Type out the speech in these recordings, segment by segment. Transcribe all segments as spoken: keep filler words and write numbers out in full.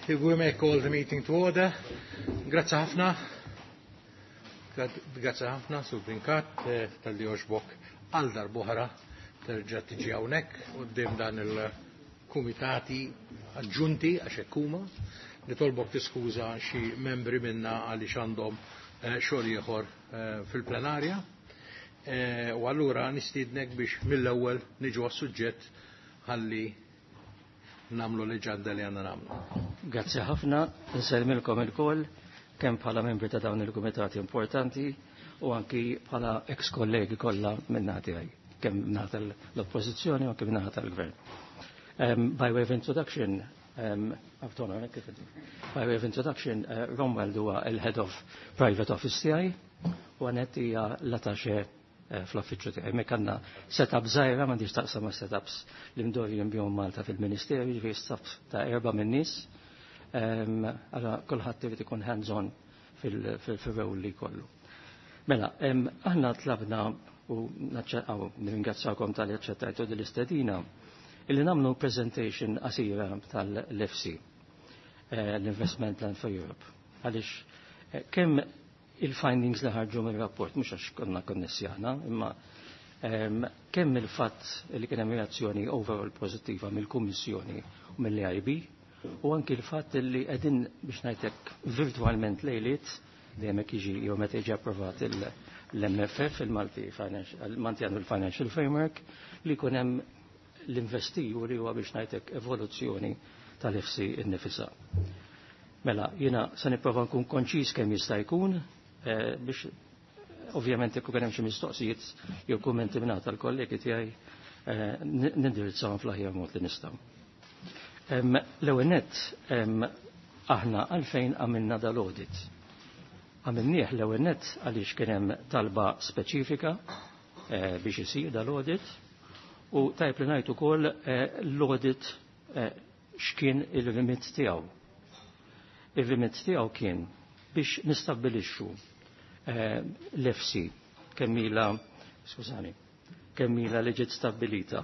If we may call the meeting to order. Grazzi ħafna. Grazzi ħafna, Sur Brincat, eh, talli għoġbok għal darb'oħra terġa' tiġi hawnhekk quddiem dan il-kumitati aġġunti għax hekk huma. Nitolbok tiskuża xi membri minna għaliex għandhom eh, xogħol ieħor eh, fil-plenarja. U allura nistiednek biex mill-ewwel niġu għas-suġġett ħalli nagħmlu l-aġenda li għandna nagħmlu. Grazzi ħafna, nsellmilkom ilkoll, kemm bħala membri ta' dawn il-kumitati importanti u anki bħala ex-kollegi kollha min-naħa tiegħi, kemm min-naħa tal-oppożizzjoni u anki min-naħa tal-gvern. Um, by way of introduction, um, by way of introduction, uh, Romuald huwa il-head of private office tiegħi u Annette hija l-attaché eh, fl-affiċċju tiegħi. Mek għandna setup żgħira m'għandix taqsam ma' setups li mdorrijin bihom Malta fil-Ministeru, jiġifieri staff ta' erba' minn nies. Għala kulħadd irid ikun hands-on fil-role li kollu. Mela, aħna tlabna u nirringrazzjakom talli aċċettajtu din l-istedina illi nagħmlu presentation qasira tal-E F S I, eh, l-Investment Plan for Europe. Għaliex eh, kemm il-findings li ħarġu mill-rapport, mhux għax konna konnessi aħna, imma kemm il-fatt li kien hemm reazzjoni overall pożittiva mill-Kummissjoni u mill-E I B, u anki il-fatt li qegħdin biex ngħidlek virtualment lejliet dejjem hekk jiġi jew meta jiġi approvat l-M F F, il-Multi Annual Financial Framework, li jkun hemm l-InvestEU li huwa biex ngħidlek evoluzzjoni tal-E F S I innifisha. Mela, jiena se nipprova nkun konċis kemm jista' jkun eh, biex ovvjament jekk hemm xi mistoqsijiet jew kummenti minn tal-kollegi tiegħi eh, nindirizzahom fl-aħjar mod li nistgħu. L-ewwel nett, aħna għalfejn għamilna dal-audit? Għamilnieh l-ewwel nett għaliex kien hemm talba speċifika eh, biex isir dal-audit u tajb li ngħid ukoll l-audit x'kien il-remit tiegħu. Il-remit tiegħu kien biex nistabbilixxu eh, l-E F S I kemm ilha, skużani, kemm ilha li ġiet stabbilita.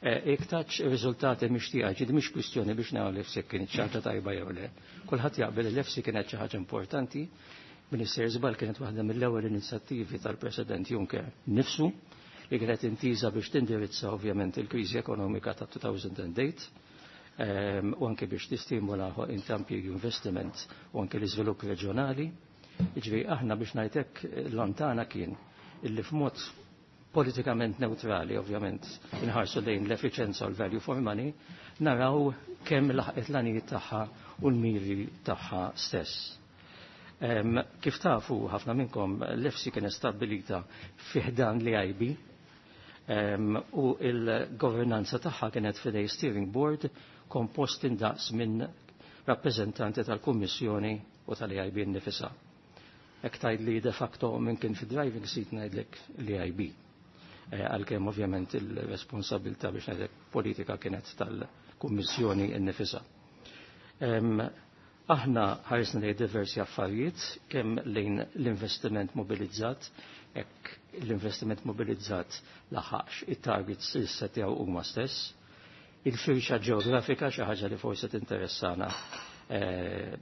Jekk tatx ir-riżultati mixtieqa, ġid mhix kwistjoni biex naraw l-E F S I kien xi ħaġa tajba jew le. Kulħadd jaqbel l-E F S I kienet xi ħaġa importanti. Minister Żbal kienet waħda mill-ewwel inizjattivi tal-President Juncker nifsu li kienet intiża biex tindirizza ovvjament il-kriżi ekonomika ta' elfejn u tmienja ehm, u anke biex tistimula impjiegi, investiment u anke l-iżvilupp reġjonali. Jiġifieri aħna biex ngħidlek l-għan tagħna kien illi f'mod politikament neutrali, ovvjament, inħarsu lejn l-efficienza u l-value for money, naraw kemm laħqet l-għanijiet tagħha u l-miri tagħha stess. Um, kif tafu ħafna minnkom, l-E F S I kien stabbilita fi ħdan l-E I B um, u il-governanza tagħha kienet f'idejn steering board kompost indaqs minn rappresentanti tal-Kummissjoni u tal-E I B nnifisha. Jekk tgħid li de facto minn kien fi driving seat, ngħidlek l-E I B. Eh, għalkemm ovvjament il-responsabilità biex ngħidlek politika kienet tal-Kummissjoni nnifisha. Aħna ħarisna lejn diversi affarijiet, kemm lejn l-investiment mobilizzat, jekk l-investiment mobilizzat laħaqx it-targets li setjaw huma stess, il-firxa ġeografika, xi ħaġa li forsi tinteressana, eh,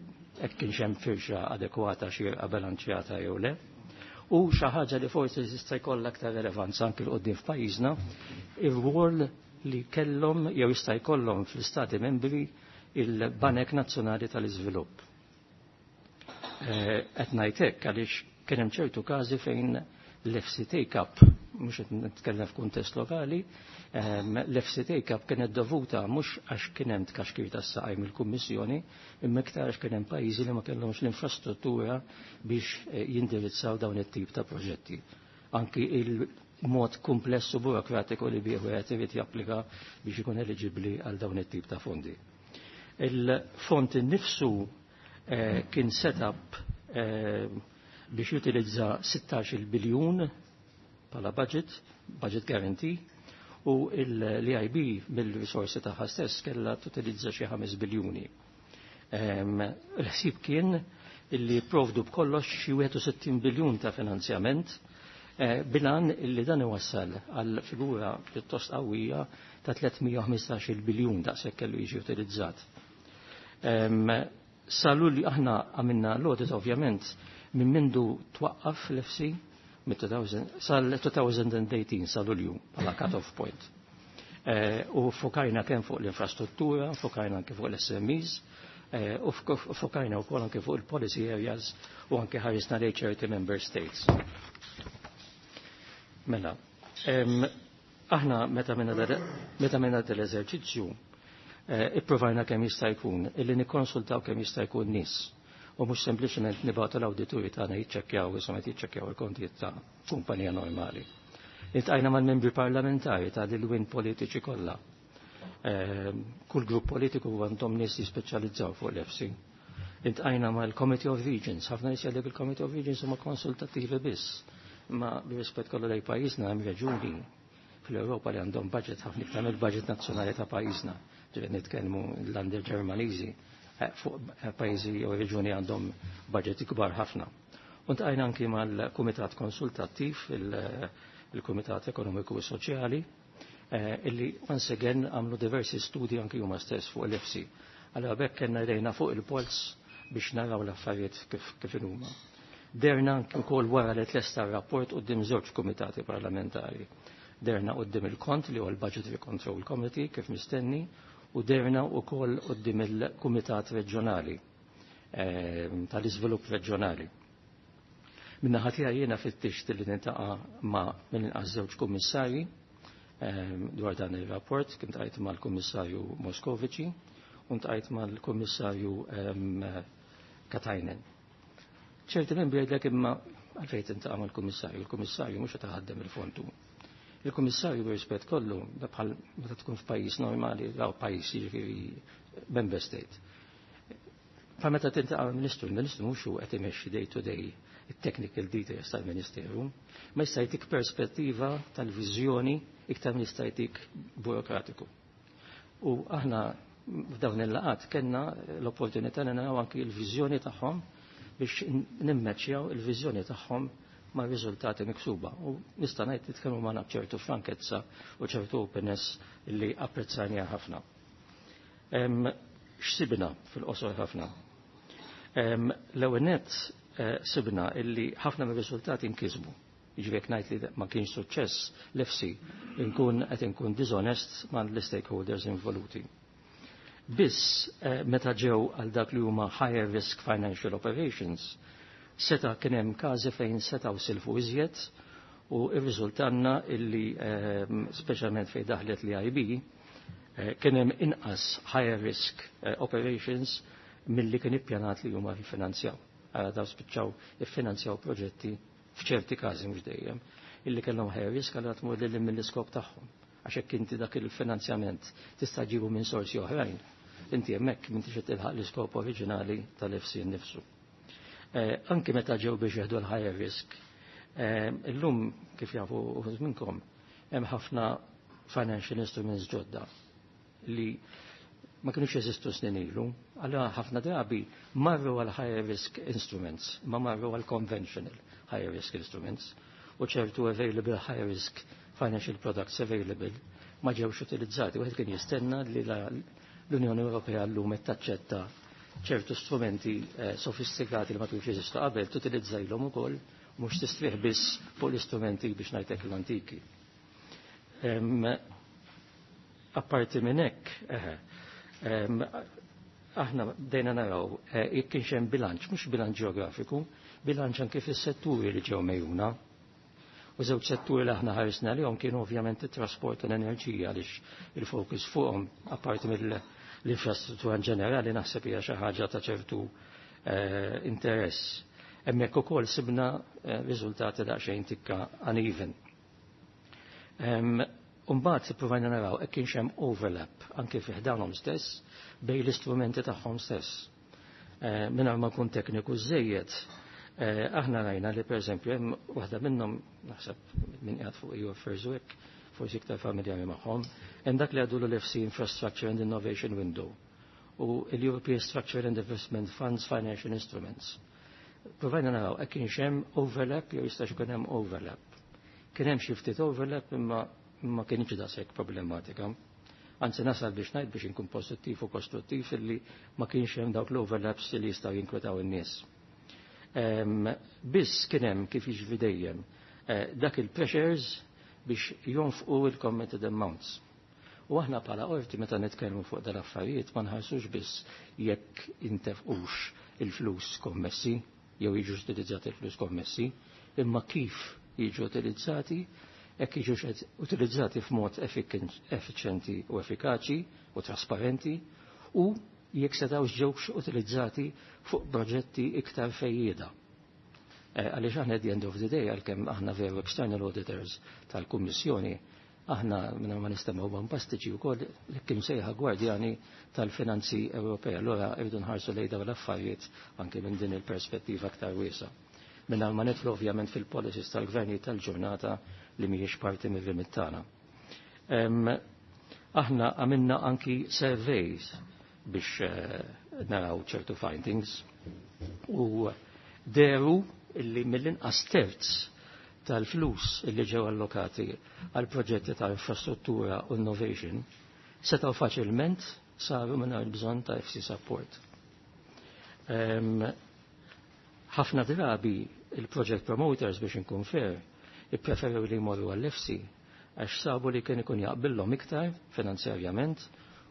hekk kienx hemm firxa adekwata, xi bilanċjata jew le. U xi ħaġa li forsi jista' jkollha aktar relevanza anke 'l quddiem f'pajjiżna, ir-rwol li kellhom jew jista' jkollhom fl-istati membri il-Banek Nazzjonali tal-Iżvilupp. Eh, qed ngħid hekk għaliex kien hemm ċertu każi fejn l-E F S I take-up, mhux qed nitkellem f'kuntest lokali, l-E F S I take-up kienet dovuta mhux għax kien hemm tkaxkir tas-saqaj mill-Kummissjoni, imma iktar għax kien hemm pajjiżi li ma kellhomx l-infrastruttura biex eh, jindirizzaw dawn it-tip ta' proġetti. Anki il-mod kumpless u burokratiku li bih wieħed irid japplika biex ikun eliġibbli għal dawn it-tip ta' fondi. Il-fond innifsu eh, kien set up eh, biex jutilizza sittax-il biljun bħala budget, budget guarantee, u l-E I B mill-risorsi tagħha stess kellha tutilizza xi ħames biljuni. Il-ħsieb kien illi provdu b'kollox xi wieħed u sittin biljun ta' finanzjament. Bil-għan li dan iwassal għal figura pjuttost qawwija ta' tliet mija u ħmistax-il biljun, daqshekk kellu jiġi utilizzat. Salu li aħna għamilna l-audit ovvjament minn mindu twaqqaf l-E F S I sal-elfejn u tmintax, sal-Lulju bħala cut-off point. U fokajna kemm fuq l-infrastruttura, fokajna anke fuq l-S M Es, u fokajna wkoll anke fuq il-policy areas u anke ħarisna lejn ċerti member states. Mela, aħna meta minna l-eżerċizzju, ipprovajna kemm jista' jkun illi nikkonsultaw kemm jista' jkun nies u mhux sempliċement nibgħatu l-awdituri tagħna jiċċekkjaw, insomma, jiċċekkjaw il-kontijiet ta' kumpanija normali. Iltqajna mal-membri parlamentari ta' l-win politiċi kollha. Kull grupp politiku għandhom nies jispeċjalizzaw fuq l-E F S I. Iltqajna mal-Committee of Regions, ħafna nies jgħidlek il-Committee of Regions huma konsultattivi biss. Ma bir-rispett kollu lejn pajjiżna, hemm reġuni fl-Ewropa li għandhom budget ħafna iktar mill-budget nazzjonali ta' pajjiżna. Ġifieri nitkellmu l-Länder Ġermaniżi, fuq pajjiżi jew reġuni għandhom budget ikbar ħafna. U ltqajna anki mal-Kumitat Konsultattiv, il-Kumitat Ekonomiku u Soċjali, illi once again għamlu diversi studi anki huma stess fuq l-E F S I. Allora bekk kellna idejna fuq il-pols biex naraw l-affarijiet kif kif huma. Dehrna anki wkoll wara li tlesta r-rapport quddiem żewġ kumitati parlamentari. Dehrna quddiem il-Kont, li huwa l-Budgetary Control Committee kif mistenni, u dehrna wkoll quddiem il-Kumitat Reġjonali tal-Iżvilupp Reġjonali. Min-naħa tiegħi jiena fittixt li niltaqa' ma' mill-inqas żewġ kummissarji dwar dan ir-rapport, kien ltqajt mal-Kummissarju Moscovici u ltqajt mal-Kummissarju Katainen. Ċerti membri jgħidlek, imma għalfejn tiltaqa' mal-Kummissarju? Il-Kummissarju mhux qed iħaddem il-fondu. Il-Kummissarju, bir-rispett kollu, bħal meta tkun f'pajjiż normali, law pajjiż, jiġifieri member state. Fa meta tiltaqa' ministru, il-Ministru mhux hu qed imexxi day to day it-technical details tal-Ministeru, ma jista' jtik perspettiva tal-viżjoni iktar minn jista' jtik burokratiku. U aħna f'dawn il-laqat kellna l-opportunità li naraw anki l-viżjoni tagħhom biex nimmeċjaw il-viżjoni tagħhom ma' riżultati miksuba. U nista' ngħid nitkellmu magħna b'ċertu frankezza u ċertu openness li apprezzajniha ħafna. X'sibna fil-qosor ħafna? L-ewwel nett, sibna illi ħafna mir-riżultati nkisbu. Jiġifieri ngħid li ma kienx suċċess l-E F S I, inkun qed inkun dishonest ma' l-stakeholders involuti. Biss meta ġew għal dak li huma higher risk financial operations, seta' kien hemm każi fejn setgħu silfu iżjed u irriżultanna illi, speċjalment fejn daħlet l-E I B, kien hemm inqas higher risk operations milli kien ippjanat li huma jiffinanzjaw. Għara daw spiċċaw iffinanzjaw proġetti f'ċerti każi, mhux dejjem, illi kellhom higher risk, għal tmur lil mill-iskop tagħhom. Għax hekk inti dak il-finanzjament tista' ġibu minn sorsi oħrajn. Inti hemmhekk m'intix qed tilħaq l-iskop oriġinali tal-E F S I nnifsu. Anki meta ġew biex jieħdu l-higher risk, illum, kif jafu uħud minnkom, hemm ħafna financial instruments ġodda li ma kienux jeżistu snin ilu. Allora ħafna drabi marru għal higher risk instruments, ma marru għal conventional higher risk instruments, u ċertu available higher risk financial products available ma ġewx utilizzati. Wieħed kien jistenna li l-Unjoni Ewropea llum qed taċċetta ċertu strumenti eh, sofistikati li ma kienux jeżistu qabel, tutilizzajlhom ukoll, mhux tistrieħ biss fuq l-istrumenti, biex ngħidlek, l-antiki. Apparti minn hekk, aħna bdejna naraw eh, jekk kienx hemm bilanċ, mhux bilanċ ġeografiku, bilanċ anke fis-setturi li ġew megħjuna. U żewġ setturi li aħna ħarisna lejhom kienu ovvjament it-trasport u l-enerġija, għaliex il-fokus fuqhom, apparti mill-infrastruttura ġenerali, naħseb hija xi ħaġa ta' ċertu eh, interess. Hemmhekk ukoll sibna eh, riżultati daqsxejn tikka uneven. Umbagħad ippruvajna naraw hekk kienx hemm overlap anke fi ħdanhom stess bejn l-istrumenti tagħhom stess. Eh, Mingħajr ma nkun tekniku żejjed, eh, aħna rajna li pereżempju hemm waħda minnhom, naħseb min qiegħed fuq E U Affairs u hekk forsi iktar familjari magħhom, hemm dak li għadu l-E F S I Infrastructure and Innovation Window u l-European Structure and Investment Funds Financial Instruments. Provajna naraw hekk kienx hemm overlap jew jistax ikun hemm overlap. Kien hemm xi ftit overlap imma ma kienx daqshekk problematika. Anzi nasal biex ngħid biex inkun pożittiv u kostruttiv illi ma kienx hemm dawk l-overlaps li jistgħu jinkwetaw in-nies. Biss kien hemm kif jiġri dejjem eh, dak il-pressures biex jonfqu il-committed amounts. U aħna bħala qorti meta nitkellmu fuq dal-affarijiet ma nħarsux biss jekk intefqux il-flus kommessi jew jiġu utilizzati il-flus kommessi, imma kif jiġu utilizzati, jekk jiġu utilizzati f'mod effiċjenti u effikaċi u trasparenti u jekk setgħux ġewx utilizzati fuq proġetti iktar fejjieda. Eh, għaliex aħna at the end of the day, għalkemm aħna veru external auditors tal-Kummissjoni, aħna minna ma nistemaw bombastiċi u koll li kim sejħa gwardjani tal-finanzi Ewropea. Allora irridu nħarsu lejn dawn l-affarijiet anke minn din il-perspettiva aktar wiesa. Minna ma nidħlu ovvjament fil-policies tal-gverni tal-ġurnata li mhijiex parti mir-remit tagħna. Aħna għamilna anki surveys biex eh, naraw ċertu findings u deru illi mill-inqas terz tal-flus illi ġew allokati għal proġetti ta' infrastruttura u innovation setgħu faċilment saru mingħajr bżonn ta' E F S I support. Ħafna drabi il-project promoters biex inkun fair ippreferew li jmorru għall-E F S I għax sabu li kien ikun jaqbillhom iktar finanzjarjament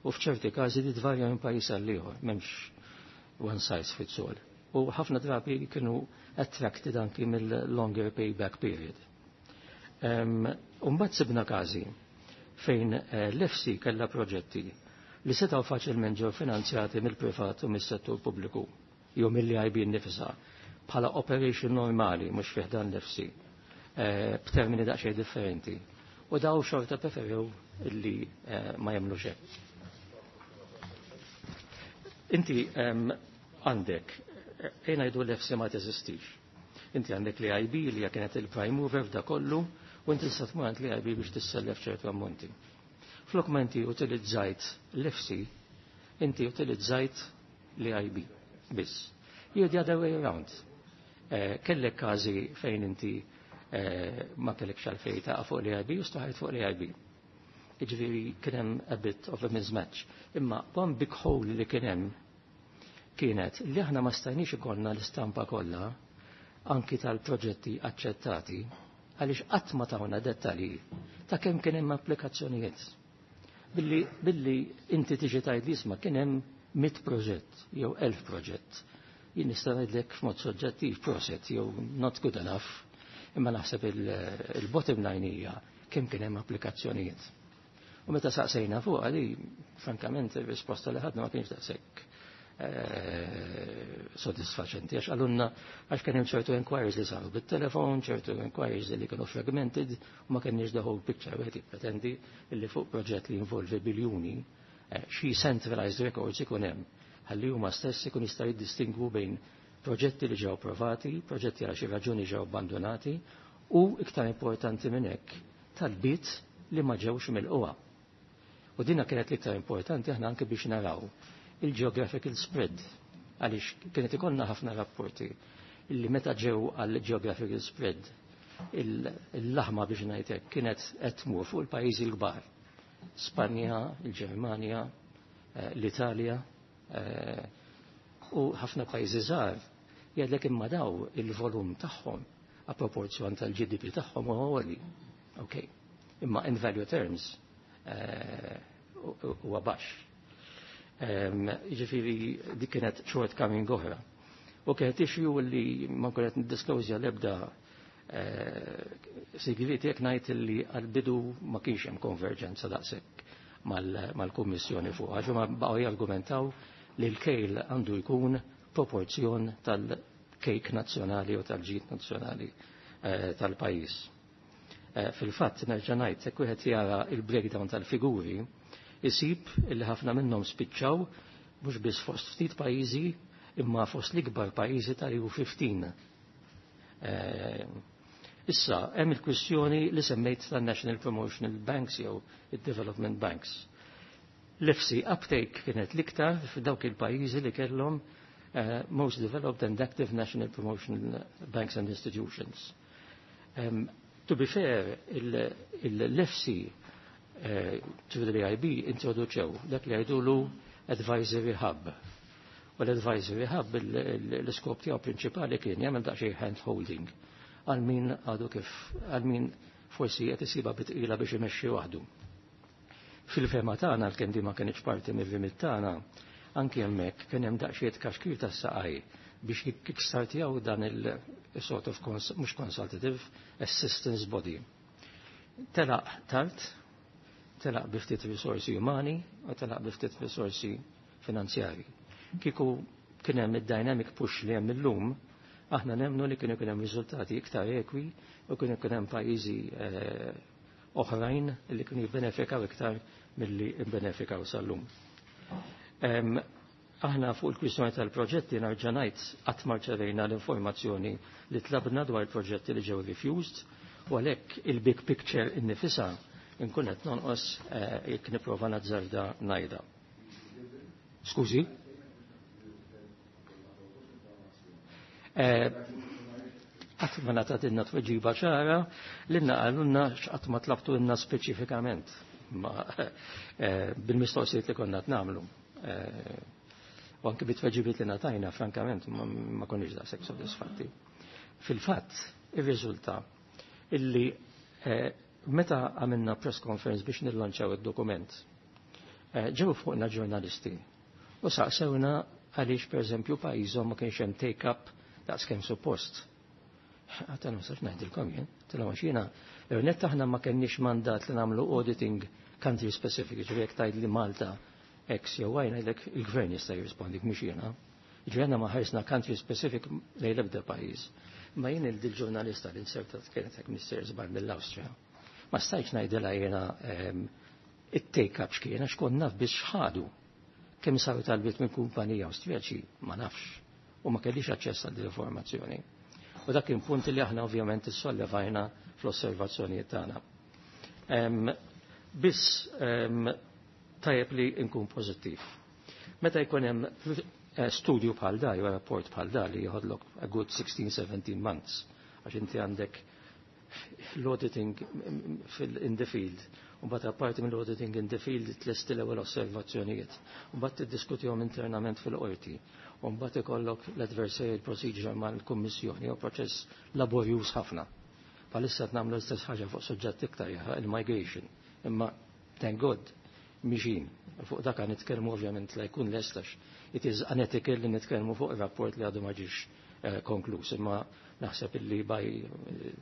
u f'ċerti każi li tvarja minn pajjiż għal ieħor, m'hemmx one size fits all. U ħafna drabi kienu attracted anki mill-longer payback period. Umbagħad sibna każi fejn eh, l-E F S I kellha proġetti li setgħu faċilment ġew finanzjati mill-privat u mis-settur pubbliku jew mill-E I B nnifisha bħala operation normali mhux fih dan l-E F S I eh, b'termini daqsxejn differenti. U daw xorta preferew illi eh, ma jagħmlu hekk. Inti għandek, ejna jdu l-E F S I ma teżistix. Inti għandek l-E I B li kienet il-prime mover f'da kollu u inti tista' tmur għand l-E I B biex tissellef ċertu ammonti. Flok ma inti utilizzajt l-E F S I, inti utilizzajt l-E I B biss. Jew the other way around. Eh, kellek każi fejn inti eh, ma kellek xalfej ta' fuq l-E I B u staħajt fuq l-E I B. Jiġifieri kien hemm a bit of a mismatch. Imma one big hole li kien hemm kienet li aħna ma stajniex ikollna l-istampa kollha anki tal-proġetti aċċettati għaliex qatt ma tawna dettalji ta' kemm kien hemm applikazzjonijiet. Billi, billi inti tiġi tgħid li isma' kien hemm mitt proġett jew elf proġett. Jien nista' ngħidlek f'mod soġġettiv proset jew not good enough, imma naħseb il-bottom line hija kemm kien hemm applikazzjonijiet. U meta saqsejna fuq għali, frankament, ir-risposta li ħadna ma kienx daqshekk eh, soddisfaċenti, għax għalunna għax kien hemm ċertu inquiries li saru bit-telefon, ċertu inquiries li kienu fragmented u ma kenniex the whole picture. Wieħed jippretendi li fuq proġett li jinvolvi biljuni eh, xi centralized records ikun hemm ħalli huma stess ikun jistgħu jiddistingwu bejn proġetti li ġew approvati, proġetti għal xi raġuni ġew abbandonati u iktar importanti minn hekk talbiet li ma ġewx mill-qwa. U dina kienet l-iktar importanti aħna anke biex naraw il-geographical spread, għaliex kienet ikollna ħafna rapporti illi meta ġew għal geographical spread il-laħma biex ngħidlek kienet qed tmur fuq il-pajjiżi l-kbar. Spanja, il-Ġermanja, eh, l-Italja, eh, u ħafna pajjiżi żgħar jgħidlek imma daw il-volum tagħhom a proporzjon tal-G D P tagħhom huwa għoli. Ok. Imma in value terms eh, huwa baxx. Jiġifieri dik kienet shortcoming oħra. U kienet issue li ma kienet niddisclosja l-ebda eh, sigrieti jekk ngħid li għal-bidu ma kienx hemm konverġenza daqshekk mal-Kummissjoni fuq. Għax huma baqgħu jargumentaw li l-kejl għandu jkun proporzjon tal-kejk nazzjonali u tal-ġid nazzjonali eh, tal-pajjiż. Eh, fil-fatt, nerġa' ngħid, jekk wieħed jara il-breakdown tal-figuri, isib li ħafna minnhom spiċċaw mhux biss fost ftit pajjiżi imma fost l-ikbar pajjiżi tal-E U fifteen. Eh, issa, hemm il-kwistjoni li semmejt tan-National Promotional Banks jew id-Development Banks. L-E F S I uptake kienet l-iktar f'dawk il-pajjiżi li kellhom uh, most developed and active national promotional banks and institutions. Um, To be fair, l-E F S I through the E I B introduċew dak li jgħidulu Advisory Hub. U l-Advisory Hub, l-iskop tiegħu prinċipali kien jagħmel daqsxejn hand holding għal min għadu kif, għal min forsi qed isibha bi tqila biex imexxi waħdu. Fil-fehma tagħna, l di ma kienx parti mir-remit tagħna, anki hemmhekk kien hemm daqsxejn tkaxkir tas-saqaj biex jikkickstartjaw dan il-sort of mhux consultative assistance body. Telaq tard, telaq bi ftit risorsi umani u telaq bi ftit risorsi finanzjari. Kieku kien hemm id-dynamic push li hemm illum, aħna nemnu li kienu kien hemm riżultati iktar ekwi u kienu kien hemm pajjiżi eh, oħrajn li kienu jibbenefikaw iktar milli jibbenefikaw sal-lum. Aħna fuq il-kwistjoni tal-proġetti, nerġa' ngħid, qatt ma rċevejna l-informazzjoni li tlabna dwar il-proġetti li ġew refused, u għalhekk il-big picture innifisha nkun qed nonqos eh, jekk nipprova nazzarda ngħidha. Skużi? Eh, qatt ma ngħatatilna tweġiba ċara, lilna qalulna x'qatt ma tlabtulna speċifikament ma eh, bil-mistoqsijiet li konna nagħmlu. U anke bit-tweġibiet li ngħatajna, frankament, ma konniex daqshekk sodisfatti. Fil-fatt, irriżulta illi meta għamilna press conference biex nillanċaw id-dokument, ġew fuqna ġurnalisti u saqsewna għaliex, per eżempju, pajjiżhom ma kienx hemm take-up daqs kemm suppost. Għedtilhom, ma nistax ngħidilkom jien, għedtilhom, għax jiena, net aħna ma kenniex mandat li nagħmlu auditing country specific, ġifieri jekk tgħid li Malta X jew Y, ngħidlek il-gvern jista' jirrispondik, mhux jiena. Ġifieri aħna ma ħarsna country specific lejn l-ebda pajjiż. Ma jien il-ġurnalista li insertat kienet hekk mister żbar mill-Awstrija. Ma stajtx ngħidilha jiena ehm, it-take up x'kien, għax kont naf biex ħadu. Kemm saru talbiet minn kumpanija Awstrijaċi ma nafx u ma kellix aċċess għal informazzjoni. U dak kien punt li aħna ovvjament issollevajna fl-osservazzjonijiet tagħna. Biss tajjeb li nkun pożittiv. Meta jkun hemm eh, studju bħal da, jew rapport bħal da li jħodlok a good sixteen seventeen months, għax inti għandek l-auditing in the field, u mbagħad apparti mill-auditing in the field tlesti l-ewwel osservazzjonijiet, u mbagħad tiddiskutihom internament fil-qorti, u mbagħad ikollok l-adversarial procedure mal-Kummissjoni, u proċess laborjuż ħafna. Bħalissa nagħmlu l-istess ħaġa fuq suġġett iktar, il-migration, imma thank God miexjin. Fuq dak nitkellmu ovvjament la jkun lest, għax it is unethical li nitkellmu fuq ir-rapport li għadu ma ġiex eh, konkluż, imma naħseb illi by eh,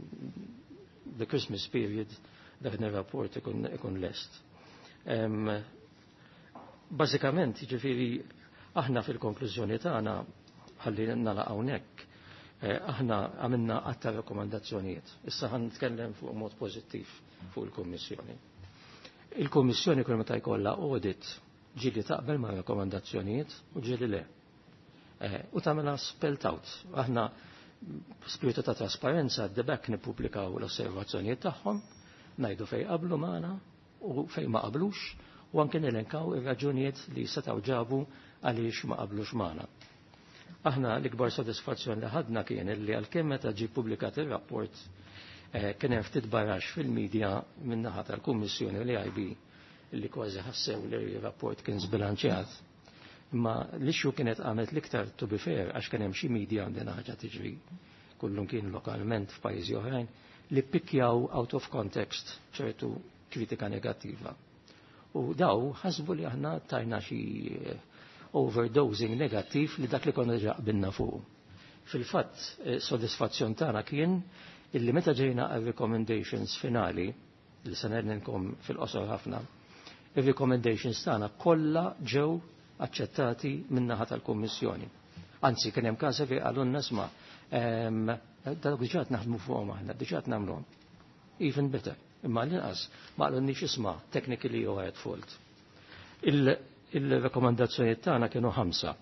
the Christmas period dak ir-rapport ikun, ikun lest. Um, Bażikament, ġifieri, aħna fil-konklużjoni tagħna, ħalli nagħlaq hawnhekk, eh, aħna għamilna għadd ta' rekomandazzjonijiet. Issa ħa nitkellem fuq mod pożittiv fuq il-Kummissjoni. Il-Kummissjoni kull meta jkollha audit ġieli taqbel ma' rekomandazzjonijiet u ġieli le. Eh, u tagħmilha spelled out. Aħna spiritu ta' trasparenza debek nippubblikaw l-osservazzjonijiet tagħhom, ngħidu fej qablu magħna u fej ma qablux, u anke nelenkaw ir-raġunijiet li setgħu ġabu għaliex ma qablux magħna. Aħna l-ikbar sodisfazzjon li ħadna kien li għalkemm meta ġie publikat ir-rapport eh, kien hemm ftit barax fil-medja min-naħa tal-Kummissjoni u l-E I B li kważi ħassew li r-rapport kien zbilanċjat. Imma l-issue kienet għamet l-iktar, to be fair, għax kien hemm xi media, għandina ħaġa tiġri kullum kien lokalment f'pajjiżi oħrajn, li pikkjaw out of context ċertu kritika negattiva. U daw ħasbu li aħna tajna xi eh, overdosing negattiv li dak li konna ġa qbilna fuq. Fil-fatt, eh, sodisfazzjon tagħna kien illi meta ġejna għal recommendations finali, li se ngħidilkom fil-qosor ħafna, ir-recommendations tagħna kollha ġew aċċettati min-naħa tal-Kummissjoni. Anzi, kien hemm każi fejn qalulna, "Isma', dawk diġà naħdmu fuqhom aħna, diġà nagħmluhom." Even better. Imma l-inqas ma qalulniex, "Isma', technically you are at fault." Il-rekomandazzjonijiet tagħna kienu ħamsa.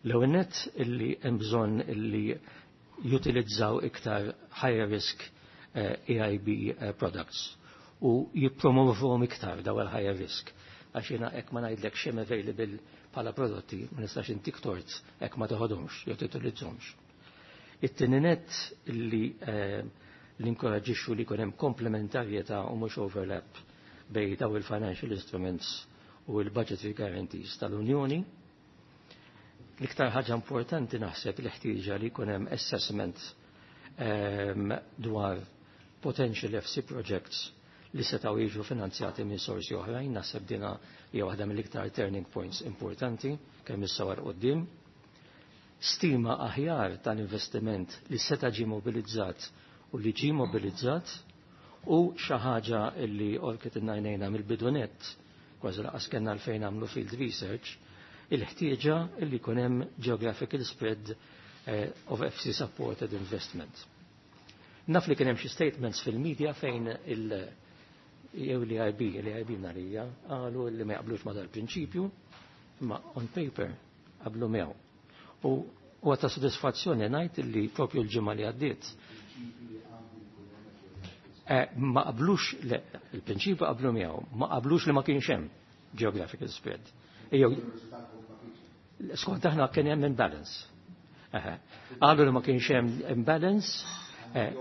L-ewwel nett, illi hemm bżonn illi jutilizzaw iktar higher risk E I B eh, products u jippromovuhom iktar daw il-higher risk. Għax jiena hekk ma ngħidlek x'hemm available bħala prodotti, ma nistax intik tort hekk ma toħodhomx jew titilizzhomx. It-tieni nett, illi eh, li nkoraġixxu li jkun hemm komplementarjetà u mhux overlap bejn daw il-financial instruments u l-budgetary guarantees tal-Unjoni. L-iktar ħaġa importanti naħseb li ħtieġa li jkun hemm assessment um, dwar potential F C projects li setgħu jiġu finanzjati minn sorsi oħrajn, naħseb dina hija waħda mill-iktar turning points importanti kemm issa 'l quddiem. Stima aħjar tal-investiment li seta' ġie mobilizzat u li ġie mobilizzat u xi ħaġa li għorket għajnejna mill-bidu nett, kważi lanqas kellna għalfejn għamlu field research, il-ħtieġa li jkun hemm geographical spread eh, of F C supported investment. Naf li kien hemm xi statements fil-media fejn il- jew l-E I B, l-E I B narija, qalu li ma jaqblux ma dal-prinċipju, imma on paper qablu miegħu. U huwa ta' sodisfazzjoni ngħid li propju l-ġimgħa li għaddiet eh, ma qablux, il-prinċipju qablu miegħu, ma qablux li ma kienx hemm geographical spread. Jew skont aħna kien hemm imbalance. Qalu li ma kienx hemm imbalance. Eh,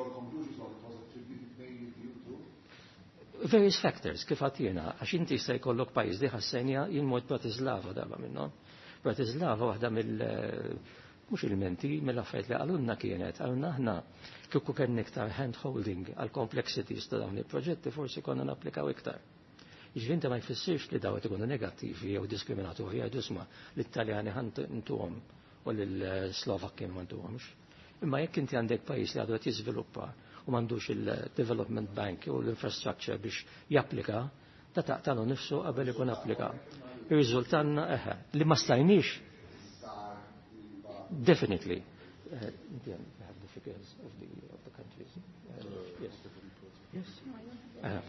various factors, kif għatina, għax inti se jkollok pajjiż li ħassenja jien mort Bratislava darba minnhom. Bratislava waħda mill mhux il-menti, mill-affarijiet li qalulna kienet, qalulna aħna kieku kien iktar hand-holding għal complexities ta' dawn il-proġetti forsi konna napplikaw iktar. Jiġifieri inti ma jfissirx li dawn ikunu negattivi jew diskriminatorji, jgħidu isma' l-Italjani ħa ntuhom u l-Slovakki ma ntuhomx. Imma jekk inti għandek pajjiż li għadu qed jiżviluppa u m'għandux il-Development Bank u l-infrastructure biex japplika, ta' taqtalu nifsu qabel ikun applika. Ir-riżultanna eħe, li ma stajniex definitely. Uh, have the figures of the, of the countries. Uh, yes. Yes. Uh,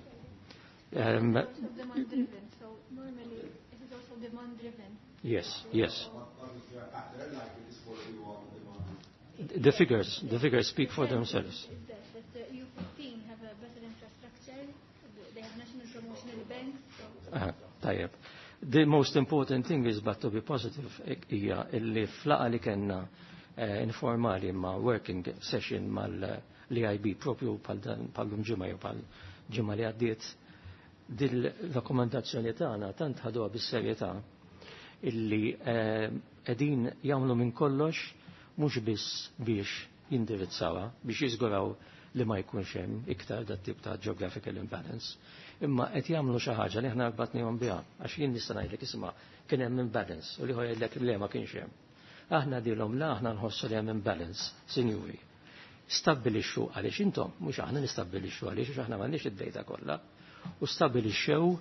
um, demand driven. So normally it is also demand driven. Yes, yes. The figures, the figures speak for themselves. That, that the E U fifteen have a better infrastructure, they have national promotional banks. So Uh, tajjeb. The most important thing is, but to be positive, hija illi f'laqgħa li kellna eh, informali ma' working session mal-E I B propju bħal ġimgħa jew bħal ġimgħa li għaddiet, dil-rakkomandazzjoni tagħna tant ħaduha bis-serjetà illi qegħdin jagħmlu minn kollox mhux biss biex jindirizzawha, biex jiżguraw li ma jkunx hemm iktar dat tip ta' geographical imbalance, imma qed jagħmlu xi ħaġa li aħna rbatnihom biha, għax jien nista' ngħidlek isma' kien hemm imbalance u li jgħidlek le ma kienx hemm. Aħna dilhom la aħna nħossu li hemm imbalance, sinjuri. Stabbilixxu għaliex intom, mhux aħna nistabbilixxu għaliex għax aħna m'għandniex id-data kollha, u stabbilixxew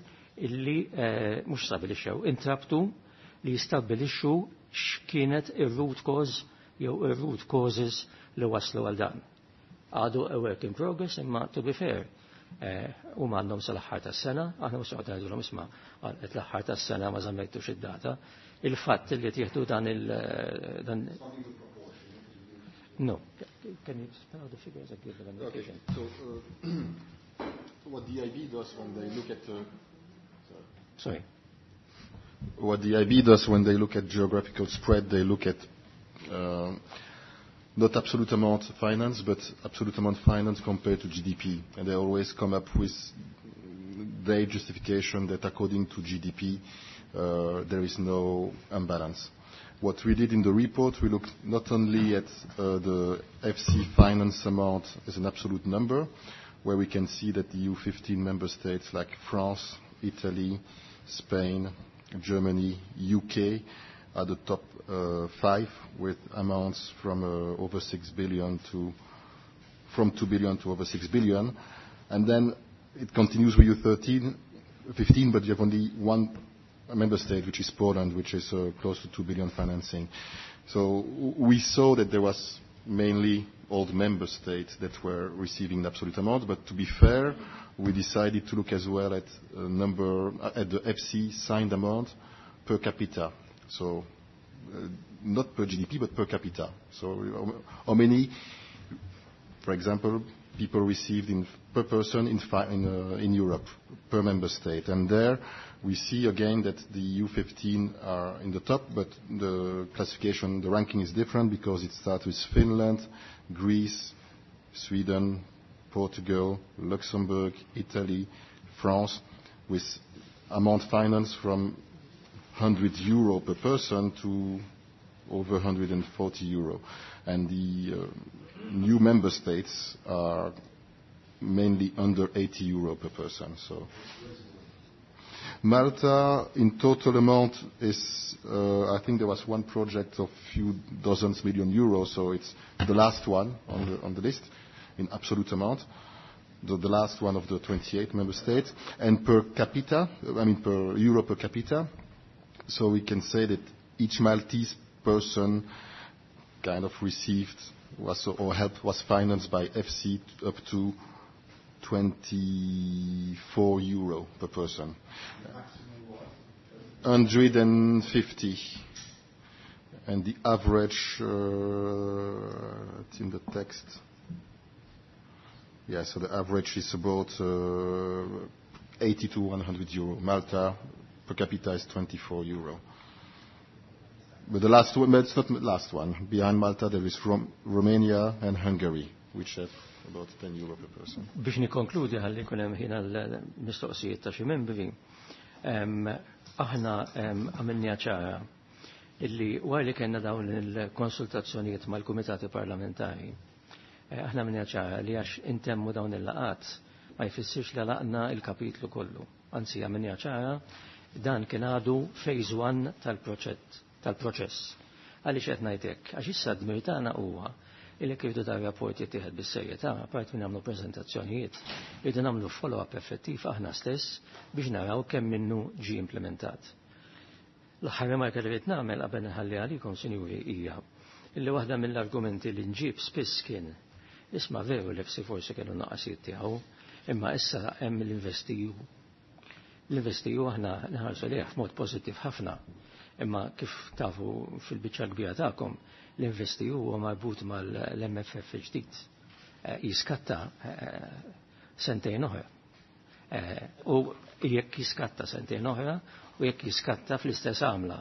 illi eh, mhux stabbilixxew, intrabtu li jistabbilixxu x'kienet ir-root cause jew ir-root causes li waslu għal dan. Għadu a work in progress, imma to be fair, eh, u għandhom sal-aħħar tas-sena, aħna mhux qed ngħidulhom isma' qed l-aħħar tas-sena ma żammejtux id-data. Il-fatt li tieħdu dan il dan. No. Can you spell out the figures and give them an Okay. indication? So, uh, what the E I B does when they look at uh, Sorry. What the E I B does when they look at geographical spread, they look at uh, not absolute amount finance, but absolute amount finance compared to G D P. And they always come up with their justification that according to G D P, uh, there is no imbalance. What we did in the report, we looked not only at uh, the F C finance amount as an absolute number, where we can see that the E U fifteen member states like France, Italy, Spain, Germany, U K are the top uh, five with amounts from uh, over six billion to from two billion to over six billion. And then it continues with E U thirteen, fifteen, but you have only one member state, which is Poland, which is uh, close to two billion financing. So we saw that there was mainly old member states that were receiving the absolute amount, but to be fair, we decided to look as well at uh, number, at the F C signed amount per capita. So uh, not per G D P, but per capita. So how many, for example, people received in, per person in, in, uh, in Europe, per member state. And there we see again that the E U fifteen are in the top, but the classification, the ranking is different because it starts with Finland, Greece, Sweden, Portugal, Luxembourg, Italy, France, with amount finance from one hundred euro per person to over one hundred forty euro. And the uh, new member states are mainly under eighty euro per person. So Malta, in total amount, is, uh, I think there was one project of few dozens million euros, so it's the last one on the, on the list in absolute amount, the, the last one of the twenty-eight member states. And per capita, I mean per euro per capita, so we can say that each Maltese person kind of received was, or help was financed by F C up to twenty-four euro per person. one hundred fifty. And the average, uh, it's in the text. Yeah, so the average is about uh, eighty to one hundred euro. Malta per capita is twenty-four euro. But the last one, but it's not the last one. Behind Malta there is Rom Romania and Hungary, which have about ten euro per person. Biex nikkonkludi ħalli jkun hemm ħin għall-mistoqsijiet ta' xi membri, aħna għamilniha ċara illi wara li kellna dawn il-konsultazzjonijiet mal-kumitati parlamentari, aħna għamilniha ċara li għax intemmu dawn il-laqat ma jfissirx li laqna il-kapitlu kollu. Anzi, għamilniha ċara dan kien għadu phase one tal-proċett tal-proċess. Għaliex qed ngħid hekk? Għax issa d-dmir tagħna huwa illi kif dar rapport jittieħed bis-serjetà, apart minn nagħmlu preżentazzjonijiet, irridu nagħmlu follow-up effettiv aħna stess biex naraw kemm minnu ġie implementat. L-aħħar remarka li rrid nagħmel qabel nħalli għalikom, sinjuri, hija illi waħda mill-argumenti li nġib spiss kien isma' veru li F C forsi kellu naqasijiet tiegħu, imma issa hemm l-InvestEU. L-InvestEU aħna nħarsu lejh f'mod pożittiv ħafna. Imma kif tafu fil-biċċa kbira tagħkom, l-InvestEU huwa marbut mal-M F F ġdid. Jiskatta sentejn oħra. U jekk jiskatta sentejn oħra u jekk jiskatta fl-istess għamla.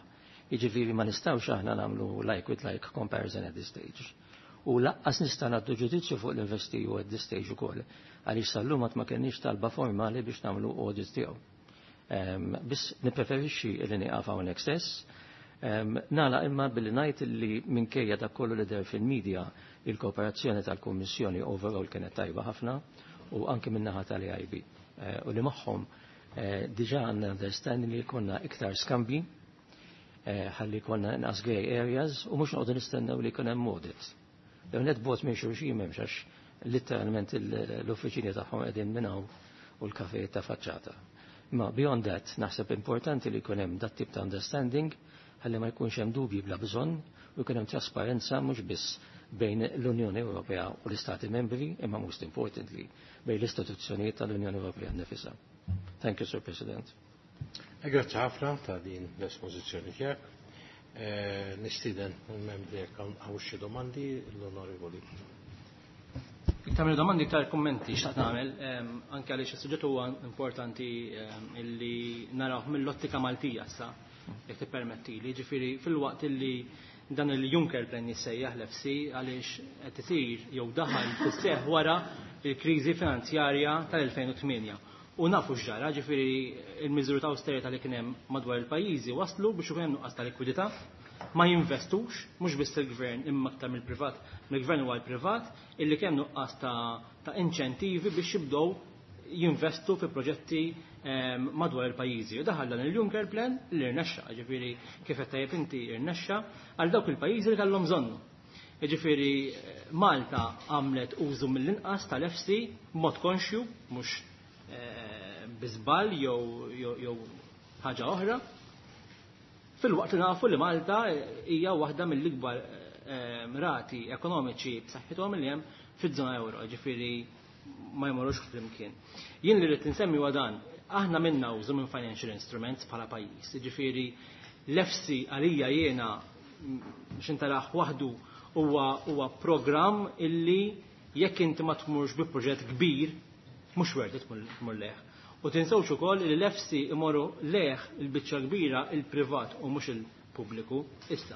Jiġifieri ma nistgħux aħna nagħmlu like with like comparison at this stage. U laqqas nista' nagħtu ġudizzju fuq l-InvestEU at this stage ukoll, għaliex sal-lum ma kenniex talba formali biex nagħmlu audit tiegħu. Biss nippreferixxi li nieqaf hawnhekk stess. Nala imma billi ngħid li minkejja dak kollu li deher fil-medja il-kooperazzjoni tal-Kummissjoni overall kienet tajba ħafna u anke min-naħa tal-A I B. U li magħhom diġà għandna understanding li jkollna iktar skambji, ħalli jkollna inqas grey areas u mhux noqogħdu nistennew li jkun hemm audit. Lew net bot minn xulxin m'hemmx għax litteralment l-uffiċini tagħhom qegħdin minn hawn u l-kafejiet ta' faċċata. Ma beyond that, naħseb importanti li jkun hemm dat tip ta' understanding ħalli ma jkunx hemm dubji bla bżonn u jkun hemm trasparenza mhux biss bejn l-Unjoni Ewropea u l-Istati Membri, imma most importantly bejn l-istituzzjonijiet tal-Unjoni Ewropea nnifisha. Thank you, Sir President. Grazzi ħafna ta' din l-espożizzjoni tiegħek. Nistieden il-membri jekk hawn xi domandi l-Onorevoli. Iktar minn domandi, iktar kummenti xtaqt nagħmel, anke għaliex is-suġġett huwa importanti illi narawh mill-ottika Maltija issa, jekk tippermettili. Ġifieri fil-waqt illi dan il-Juncker Plan jissejjaħ l-F C għaliex qed isir jew daħal fis-seħħ wara l-kriżi finanzjarja tal-elfejn u tmienja. U nafu x'ġara, ġifieri il-miżuri ta' austerità li kien hemm madwar il-pajjiżi waslu biex ikun hemm nuqqas ta' likwidità, ma jinvestux, mhux biss il-gvern imma aktar mill-privat, mill-gvern huwa l-privat, illi kemm nuqqas ta', ta' inċentivi biex jibdew jinvestu fi proġetti, ehm, madwar il-pajjiżi. U daħal dan il-Juncker Plan li rnexxa, ġifieri kif qed tajjeb inti rnexxa għal dawk il-pajjiżi li kellhom bżonnu. Ġifieri Malta għamlet użu mill-inqas tal-F C b'mod konxju, mhux, eh, bi żball jew, jew, jew ħaġa oħra. Fil-waqt li nafu li Malta hija waħda mill-ikbar, eh, rati ekonomiċi b'saħħithom li hemm fiż-żona euro, ġifieri ma jmorrux flimkien. Jien li rrid insemmi huwa dan, aħna minna użu minn financial instruments bħala pajjiż, ġifieri l-F C għalija jiena x'intaraħ waħdu huwa, huwa programm illi jekk inti ma tmurx bi proġett kbir, mhux worth it tmur leh. U tinsewx ukoll li l-F C imorru leh il-biċċa kbira il-privat u mhux il-pubbliku issa.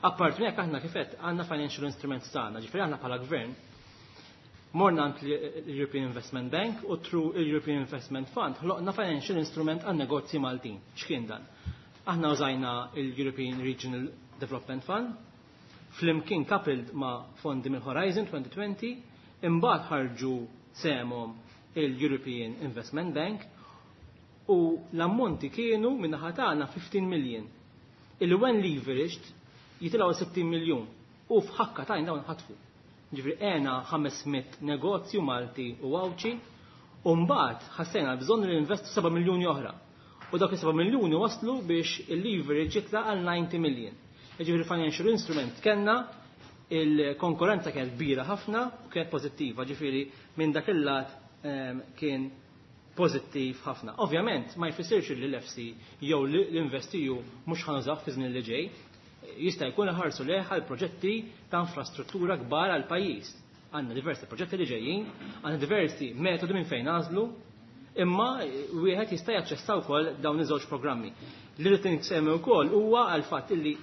Apart minn hekk aħna kif qed għandna financial instruments tagħna, ġifieri aħna bħala gvern Morna għand l-European Investment Bank u through il-European Investment Fund ħloqna financial instrument għan negozji Maltin. X'kien dan? Aħna użajna il-European Regional Development Fund, flimkien coupled ma' fondi mill Horizon twenty twenty, imbagħad ħarġu sehemhom il-European Investment Bank u l-ammonti kienu min-naħa tagħna fifteen million. Illi when leveraged jitilgħu sittin miljun u f'ħakka t'għajn dawn ħatfu. Ġifieri għenna ħames mitt negozju Malti u Għawdxi u mbagħad ħassejna bżonn li investu seba' miljuni oħra. U dak is-seba' miljuni waslu biex il-leverage jitla' għal ninety million. Ġifieri financial instrument kellna, il-konkurrenza kienet kbira ħafna u kienet pożittiva, ġifieri minn dak il-lat ehm, kien pożittiv ħafna. Ovvjament ma jfissirx li l-E F S I jew l-InvestEU mhux ħa nużaw fi żmien li ġej. Jista' jkun ħarsu lejh għal proġetti ta' infrastruttura kbar għal pajjiż. Għandna diversi proġetti li ġejjin, għandna diversi metodi minn fejn nagħżlu, imma wieħed jista' jaċċessa wkoll dawn iż-żewġ programmi. Li rrid insemmi wkoll huwa għal fatt illi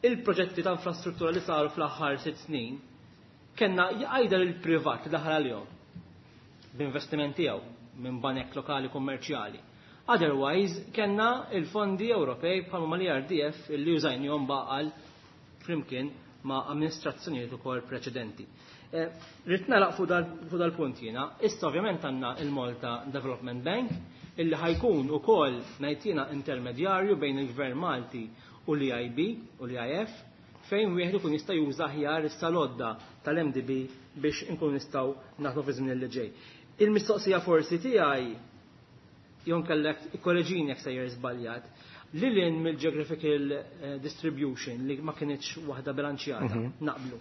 il-proġetti ta' infrastruttura li saru fl-aħħar sitt snin kellna jgħidha il-privat li daħal għalihom b'investiment tiegħu minn banek lokali kummerċjali. Otherwise, kellna il-fondi Ewropej bħalma mal-E R D F illi użajnihom baqal flimkien ma' amministrazzjonijiet ukoll preċedenti. Eh, Rrid nagħlaq fuq dal-punt jiena. Issa ovvjament għandna il-Malta Development Bank illi ħa jkun ukoll ngħid jiena intermedjarju bejn il-Gvern Malti u l-E I B u l-E I F, fejn wieħed ikun jista' juża aħjar is-salodda tal-M D B biex inkun nistgħu naħdmu fi żmien li ġej. Il-mistoqsija forsi tiegħi jon kellek ikkoreġini jekk sejjer żbaljat. Lil hinn mill-geographical eh, distribution li ma kinitx waħda bilanċjata, mhm. naqblu.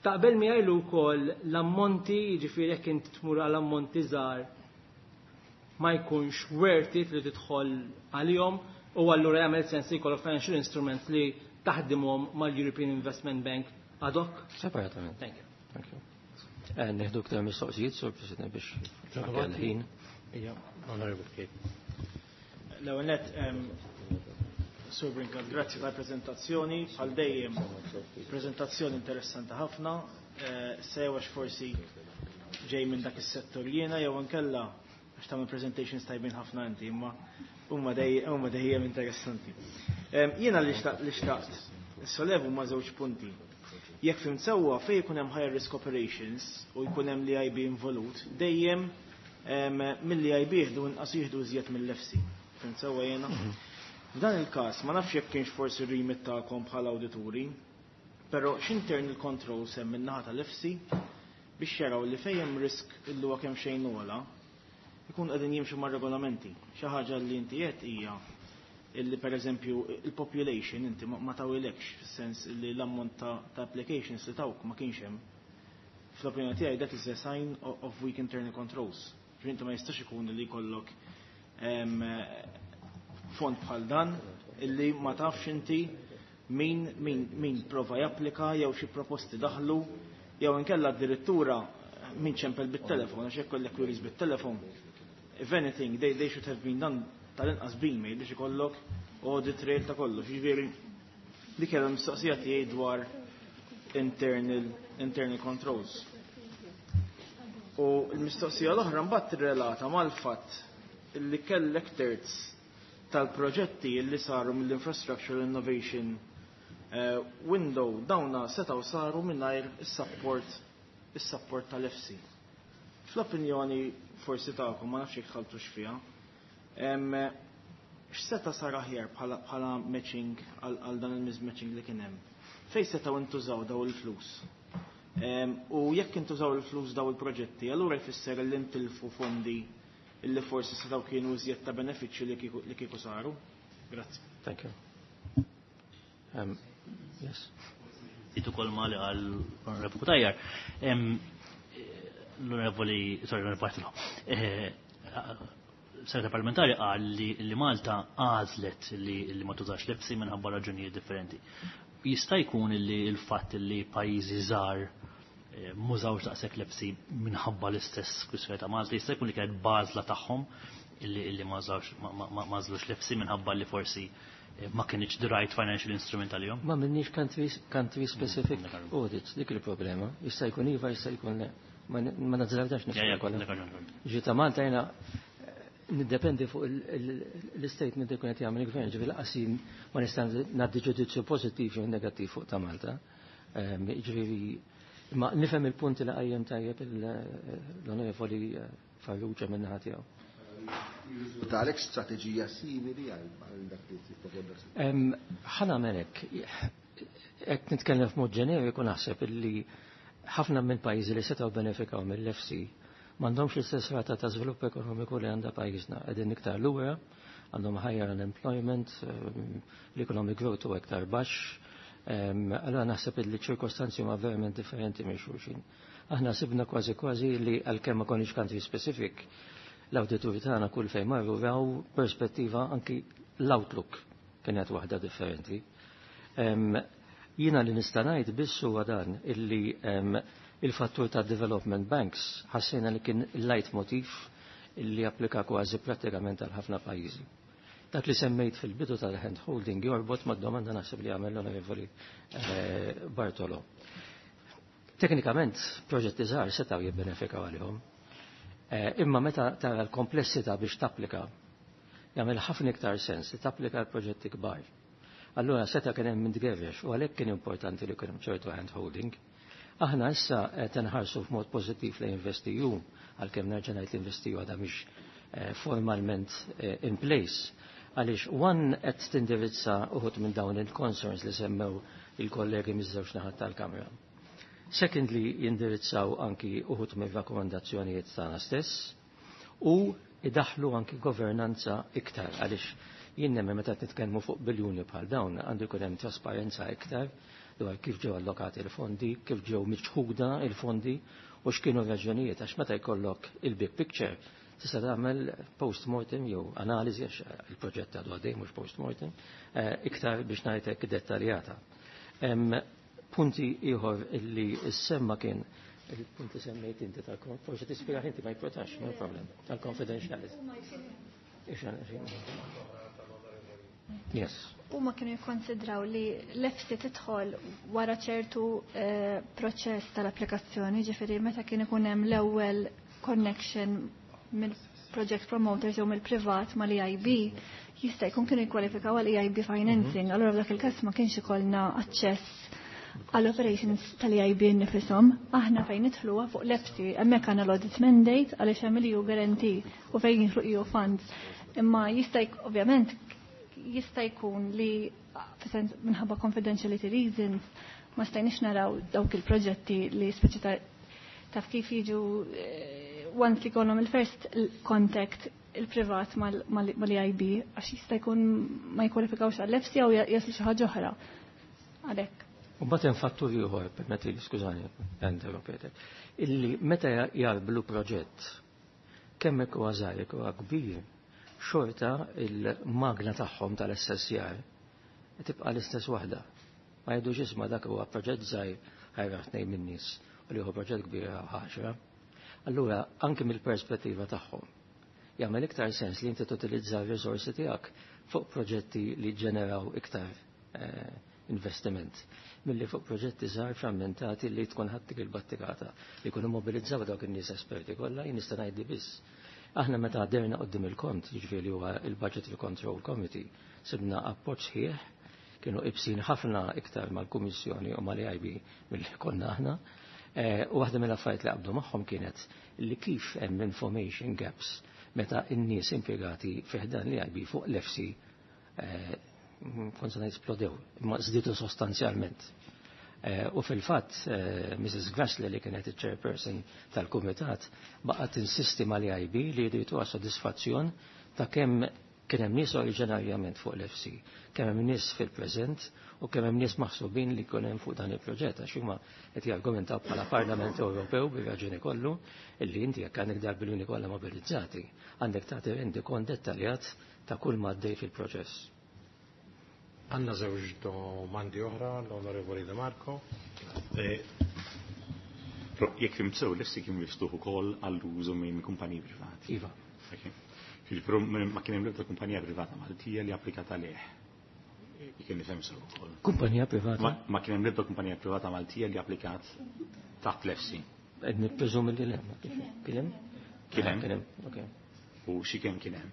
Taqbel miegħi wkoll l-ammonti, jiġifieri jekk inti tmur għal ammonti żgħar ma jkunx worth it li tidħol għalihom u allura jagħmel sens li jkollok financial instrument li taħdimhom mal-European Investment Bank ad hoc? Separatament. Thank you. Thank you. Eh, Nieħdu ktar mistoqsijiet, Sur President, biex ħin. Ija, Honorable Kate. L-ewwel nett, Sur Brincat, grazzi tal-prezentazzjoni, bħal dejjem prezentazzjoni interessanti ħafna, eh, sew għax forsi ġej minn dak is-settur jiena jew inkella għax tagħmel presentations tajbin ħafna inti, imma huma dejjem dejjem interessanti. Jiena li xtaqt sollevu ma' żewġ punti. Jekk fhimt sewwa, fejn jkun hemm higher risk operations u jkun hemm l-E I B involut, dejjem mill-E I B jieħdu inqas, jieħdu iżjed mill-E F S I. Fhimt sewwa jiena? Mhm. F'dan il-każ ma nafx jekk kienx forsi remit tagħkom bħala awdituri, però x'internal controls hemm min-naħa tal-E F S I biex jaraw li fejn hemm risk illu huwa kemm xejn ogħla ikun qegħdin jimxu mar-regolamenti? Xi ħaġa li inti qed hija illi per eżempju il-population inti ma tawilekx, fis-sens li l-ammont ta' applications li tawk ma kienx hemm. Fl-opinjoni tiegħi that is a sign of weak internal controls. Inti ma jistax ikun li jkollok fond bħal dan illi ma tafx inti min, min, min prova japplika jew xi proposti daħlu jew inkella addirittura min ċempel bit-telefon, għax jekk kollek queries bit-telefon. If anything, they, they should have been done tal-inqas b-email biex ikollok audit trail ta' kollox. Ġifieri li kellha mistoqsija tiegħi dwar internal, internal controls. U l-mistoqsija l-oħra mbagħad tirrelata mal-fatt illi kellek terz tal-proġetti li saru mill-Infrastructure Innovation uh, Window dawna setaw saru mingħajr is-support is-support tal-E F S I. Fl-opinjoni forsi tagħkom, ma nafx jekk dħaltux fiha, x'seta sar aħjar bħala matching għal dan il-mismatching li kien hemm? Fejn setgħu intużaw daw il-flus? U jekk intużaw il-flus daw il-proġetti, allura jfisser li ntilfu fondi illi forsi setgħu kienu iżjed ta' benefiċċju li kieku saru? Grazzi. Thank you. Um, yes. Itu kol mali għal Onorevoli Cutajar. L-Onorevoli, sorry, l-Onorevoli Bartolo. Eh, Segretar parlamentari qal li, li Malta għażlet li, li ma tużax l-E F S I minħabba raġunijiet differenti. Jista' jkun li l-fatt li pajjiżi żgħar eh, m'użawx daqshekk l-E F S I minħabba l-istess kwistjoni ta' Malta, jista' jkun li kienet għażla tagħhom illi illi ma għażlux l-E F S I minħabba li forsi eh, ma kienx the right financial instrument għalihom? Ma minniex country, country specific audits, dik il-problema. Jista' jkun iva, jista' jkun le. Ma nazzardax nispekula. Ġi ta' Malta jiena niddependi fuq l-statement li jkun qed jagħmel il-gvern, ġifieri lanqas ma nista' ngħaddi ġudizzju pożittiv jew negattiv fuq ta' Malta. Ġifieri ma nifhem il-punti li qajjem tajjeb l-Onorevoli Farrugia min-naħa tiegħu. Talek strateġija simili għal dak li tipproponi? Ħa nagħmel hekk. Qed nitkellem f'mod ġeneriku, naħseb illi ħafna minn pajjiżi li setgħu benefikaw mill-E F S I m'għandhomx l-istess rata ta' żvilupp ekonomiku li għandha pajjiżna. Qegħdin iktar lura, għandhom higher unemployment, l-economic growth huwa iktar baxx. Allora naħseb li ċirkostanzi huma verament differenti minn xulxin. Aħna sibna kważi kważi li, għalkemm ma konniex country specific, l-awdituri tagħna kull fejn marru raw perspettiva, anki l-outlook kienet waħda differenti. Jiena li nista' ngħid biss huwa dan, illi il-fattur ta' development banks ħassejna li kien il-leitmotiv illi applika kważi prattikament għal ħafna pajjiżi. Dak li semmejt fil-bidu tal-hand holding jorbot ma' domanda naħseb li għamel l-Onorevoli eh, Bartolo. Teknikament, proġetti żgħar setgħu jibbenefikaw għalihom. Eh, imma meta tara l-komplessità biex tapplika, jagħmel ħafna iktar sens li tapplika l-proġetti kbar. Allura seta' kien hemm mintgerrex u għalhekk kien importanti li kien hemm ċertu hand holding. Aħna issa qed nħarsu f'mod pożittiv li InvestEU, għalkemm nerġa' ngħid, l-InvestEU għadha mhix eh, formalment eh, in place. Għaliex one qed tindirizza uħud minn dawn il-concerns li semmew il-kollegi miż-żewġ naħat tal-Kamra. Secondly, jindirizzaw anki uħud minn rakkomandazzjonijiet tagħna stess u idaħlu anki governanza iktar, għaliex jien nemmen meta nitkellmu fuq biljuni bħal dawn għandu jkun hemm trasparenza iktar dwar kif ġew allokati l-fondi, kif ġew miċħuda il-fondi u x'kienu raġunijiet, għax meta jkollok il-big picture tista' tagħmel post-mortem jew analiżi, għax il-proġett għadu għaddej, mhux post-mortem, eh, iktar, biex ngħidlek, dettaljata. Punti ieħor illi semma kien il-punt li semmejt inti tal, forsi tispjega inti, ma jimportax, no problem, tal-confidentiality. Yes. Huma kienu jikkonsidraw li l-E F S I tidħol wara ċertu eh, proċess tal-applikazzjoni, ġifieri meta kien ikun hemm l-ewwel connection mill-project promoters jew mill-privat mal-E I B, jista' jkun kienu jikkwalifikaw għal E I B financing. Mhm. Allura f'dak il-każ ma kienx ikollna aċċess għall operations tal-E I B nifisom. Aħna fejn nidħlu fuq l-E F S I, hemmhekk għandna l-audit mandate għaliex hemm il-E U guarantee u fejn jidħlu E U funds. Imma jista' ovvjament jista' jkun li fis-sens minħabba confidentiality reasons ma stajniex naraw dawk il-proġetti li speċi ta' taf kif jiġu eh, once li jkollhom il-first contact il-privat mal-E I B, għax jista' jkun ma jkwalifikawx għall-E F S I jew jaslu xi ħaġa oħra. Għalhekk. U mbagħad hemm fattur ieħor, permetti, skużani, interrompetek, illi meta jarblu proġett, kemm hekk huwa żgħir, jekk huwa kbir, xorta il-magna tagħhom tal-assessjar tibqa' l-istess waħda. Ma jgħidux, "Isma', dak huwa proġett żgħir, ħa jrah tnejn min-nies u li huwa proġett kbir għaxra." Allura anke mill-perspettiva tagħhom jagħmel iktar sens li inti tutilizza r-riżorsi tiegħek fuq proġetti li ġeneraw iktar eh, investiment milli fuq proġetti żgħar frammentati li tkun ħadtik il-battikata li jkunu mobilizzaw dawk in-nies esperti kollha. Jien nista' ngħidli biss. Aħna meta għaddejna quddiem il-kont, jiġifieri huwa il-Budgetary Control Committee, sibna appoġġ sħiħ, kienu ibsin ħafna iktar mal-Kummissjoni u mal-E I B milli konna aħna. Eh, u waħda mill-affarijiet li qabdu magħhom kienet li kif hemm information gaps meta n-nies impjegati fi ħdan l-E I B fuq l-E F S I eh, kont se esplodew, imma żdiedu sostanzjalment. Eh, u fil-fatt, eh, Missus Grassley, li kienet il-chairperson tal-kumitat, baqgħet insisti mal-E I B li jridu sodisfazzjon ta' kemm kien hemm nies oriġinarjament fuq l-E F S I, kemm hemm nies fil-preżent u kemm hemm nies maħsubin li jkun hemm fuq dan il-proġett, għax huma qed jargumentaw bħala Parlament Ewropew bir-raġuni kollu illi inti jekk għandek dal-biljuni kollha mobilizzati, għandek tagħti rendikont dettaljat ta' kull ma għaddej fil-proċess. Għandna żewġ domandi oħra, l-Onorevoli De Marco. Eh, jekk fhimt sew, l-E F S I kien miftuħ ukoll għall-użu minn kumpaniji privati. Iva. Però ma kien hemm l-ebda kumpanija privata Maltija li applikat għalih. Kien nifhem sew ukoll. Kumpanija privata? Ma kien hemm l-ebda kumpanija privata Maltija li applikat taħt l-E F S I. Qed nippreżumi li le. Kien hemm? Kien hemm? Kien hemm, okej. U xi kemm kien hemm?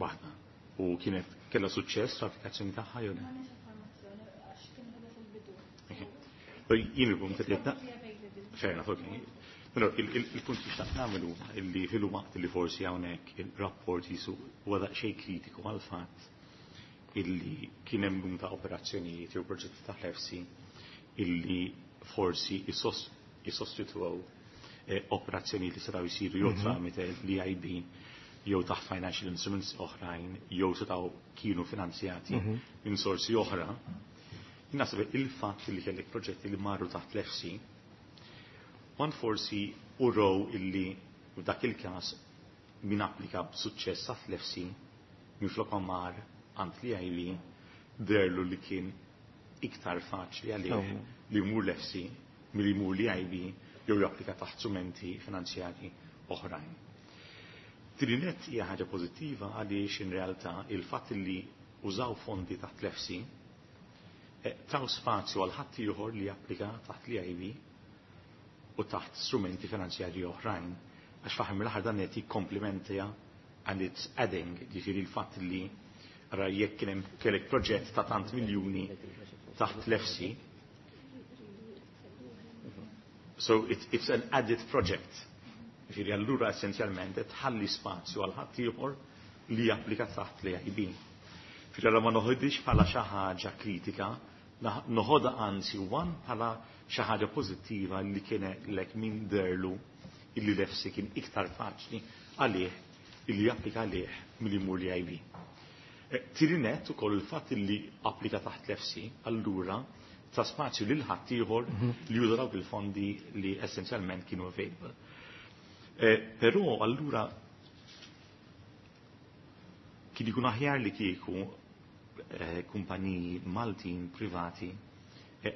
Waħda. U kienet kellha suċċess l-applikazzjoni tagħha jew le? Jien il-punt li Fair enough, okay. Il-punt li xtaqt nagħmel huwa illi fil-waqt li forsi hawnhekk il-rapport jisu huwa daqsxejn kritiku għall-fatt illi kien hemm numru ta' operazzjonijiet jew proġetti ta' l-EFSI illi forsi jissostitwew operazzjonijiet li setgħu jsiru jew tramite l-E I B jew taħt financial instruments oħrajn jew setgħu kienu finanzjati minn sorsi oħra. Naħseb il-fatt li kellek proġetti li marru taħt l-EFSI one forsi uraw illi f'dak il-każ min applika b'suċċess taħt l-EFSI minflok ma mar għand l-E I B deherlu li kien iktar faċli għalih li jmur l-EFSI milli jmur l-E I B jew japplika taħt strumenti finanzjari oħrajn. Trinet hija ħaġa pożittiva għaliex in realtà il-fatt li użaw fondi taħt l-EFSI taw spazju għal ħadd ieħor li japplika taħt l-E I B u taħt strumenti finanzjarji oħrajn. Għax fl-aħħar mill-aħħar dan qed jikkomplimenta and it's adding, ġifieri l-fatt li ra jekk kien hemm kellek proġett ta' tant miljuni taħt l-EFSI. So it, it's an added project. Ġifieri allura essenzjalment qed tħalli spazju għal ħadd ieħor li japplika taħt l-E I B. Ġifieri allura ma noħodix bħala xi ħaġa kritika, noħodha anzi one bħala xi ħaġa pożittiva li kien lek min deherlu illi l-EFSI kien iktar faċli għalih illi japplika għalih milli jmur l-E I B. Tieni nett ukoll il-fatt illi applika taħt l-EFSI allura ta spazju lil ħaddieħor li juża dawk il-fondi li essenzjalment kienu available. Però allura kien ikun aħjar li kieku kumpaniji Maltin privati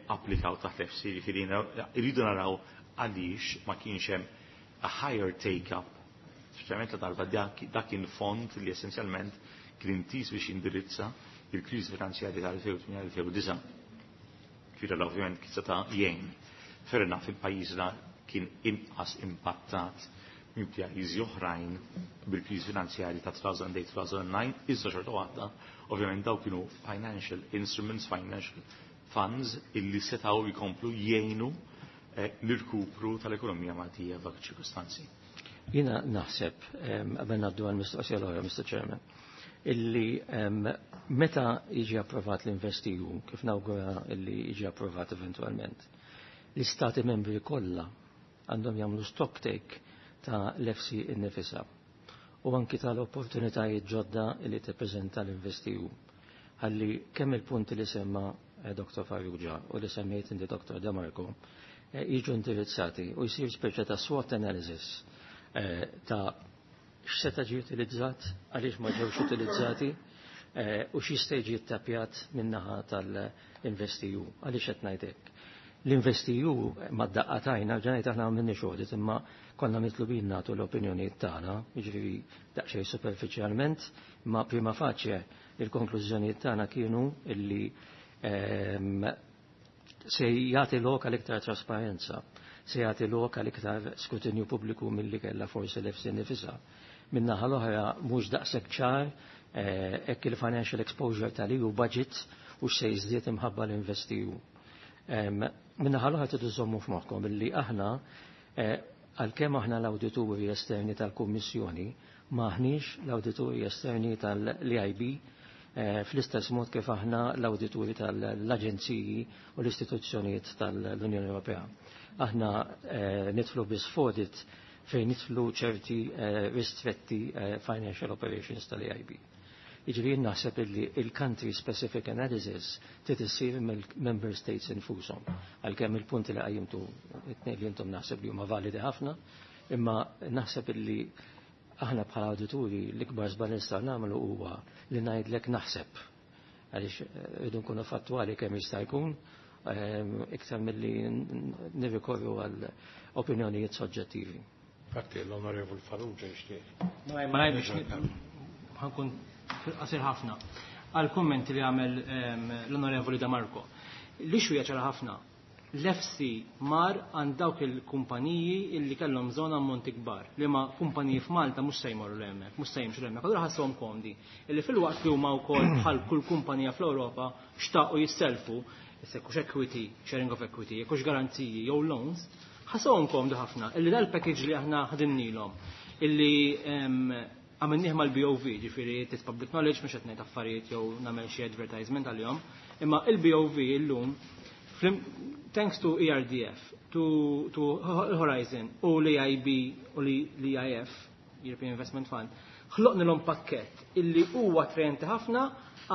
applikaw taħt l-EFSI, ġifieri irridu naraw għaliex ma kienx hemm a higher take-up, speċjalment la darba dak kien fond li essenzjalment kien intiż biex jindirizza il-kriżi finanzjarja tal-elfejn u tmienja-elfejn u disgħa. Ġifieri ovvjament kien seta' jgħin. Fair enough, il-pajjiżna kien inqas impattat minn pajjiżi oħrajn bil-kriżi finanzjarja ta' elfejn u tmienja-elfejn u disgħa, iżda xorta waħda, ovvjament daw kienu financial instruments, financial funds illi setgħu jkomplu jgħinu l-irkupru tal-ekonomija Maltija f'dak iċ-ċirkustanzi. Jiena naħseb, qabel ngħaddu għall-mistoqsija l-oħra, Mister Chairman, illi meta jiġi approvat l-InvestEU, kif nawgura illi jiġi approvat eventualment, l-istati membri kollha għandhom jagħmlu stock take ta' l-EFSI innifisha u anki tal-opportunitajiet ġodda li tippreżenta l-InvestEU. Ħalli kemm il-punti li semma Doktor Farrugia u li semmejt inti, Doktor De Marco, jiġu indirizzati u jsir speċa ta' SWOT analysis ta' x'seta' ġie utilizzat, għaliex ma ġewx utilizzati u x'jista' jiġi ttapjat min-naħa tal-InvestEU. Għaliex qed ngħid hekk? L-InvestEU mad-daqqa t'għajn, ġanajt aħna m'għamilniex audit, imma konna mitlubin nagħtu l-opinjonijiet tagħna, jiġifieri daqsxejn superfiċjalment, imma prima facie il-konklużjonijiet tagħna kienu illi se jagħti lok għal iktar trasparenza, se jagħti lok għal iktar skrutinju pubbliku milli kellha forsi l-EFSI nifisha. Min-naħa l-oħra mhux daqshekk ċar hekk il-financial exposure tal-E U budget u se jiżdied imħabba l-InvestEU. Min-naħa l-oħra tridu żommu f'moħħkom illi aħna, għalkemm aħna l-awdituri esterni tal-Kummissjoni, m'aħniex l-awdituri esterni tal-E I B fl-istess mod kif aħna l-awdituri tal-aġenziji u l-istituzzjonijiet tal-Unjoni Ewropea. Aħna nidħlu biss f'audit fejn nidħlu ċerti ristretti financial operations tal-E I B. Jiġifieri naħseb illi il-country specific analysis trid issir mill-member states infushom. Għalkemm il-punti li qajjimtu it-tnejn li intom naħseb li huma validi ħafna, imma naħseb illi aħna bħala awdituri l-ikbar żball nistgħu nagħmlu huwa li ngħidlek naħseb. Għaliex rridu nkunu fattwali kemm jista' jkun iktar milli nirrikorru għal opinjonijiet soġġettivi. Infatti l-Onorevol Farrugia jixtieq. Ma ngħidx ħa nkun qasir ħafna. Għal kummenti li għamel l-Onorevoli Da Marco. L-issue ċara ħafna. L-E F S I mar għand dawk il-kumpaniji illi kellhom bżonn ammonti kbar, li ma kumpaniji f'Malta mhux se jmorru hemmhekk, mhux se jimxu hemmhekk. Allura ħassuhom komdi illi filwaqt li huma wkoll bħal kull kumpanija fl-Ewropa xtaqu jisselfu, issa hux equity, sharing of equity, jekk hux garanziji jew loans, ħassuhom komdi ħafna illi dal-package li aħna ħadimnilhom illi għamilnieh mal-B O V, ġifieri it's public knowledge, mhux qed ngħid affarijiet jew nagħmel xi advertisement għalihom, imma il-B O V illum, thanks to E R D F, to, to Horizon u l-E I B u l-E I F, European Investment Fund, ħloqnilhom pakket illi huwa attrajenti ħafna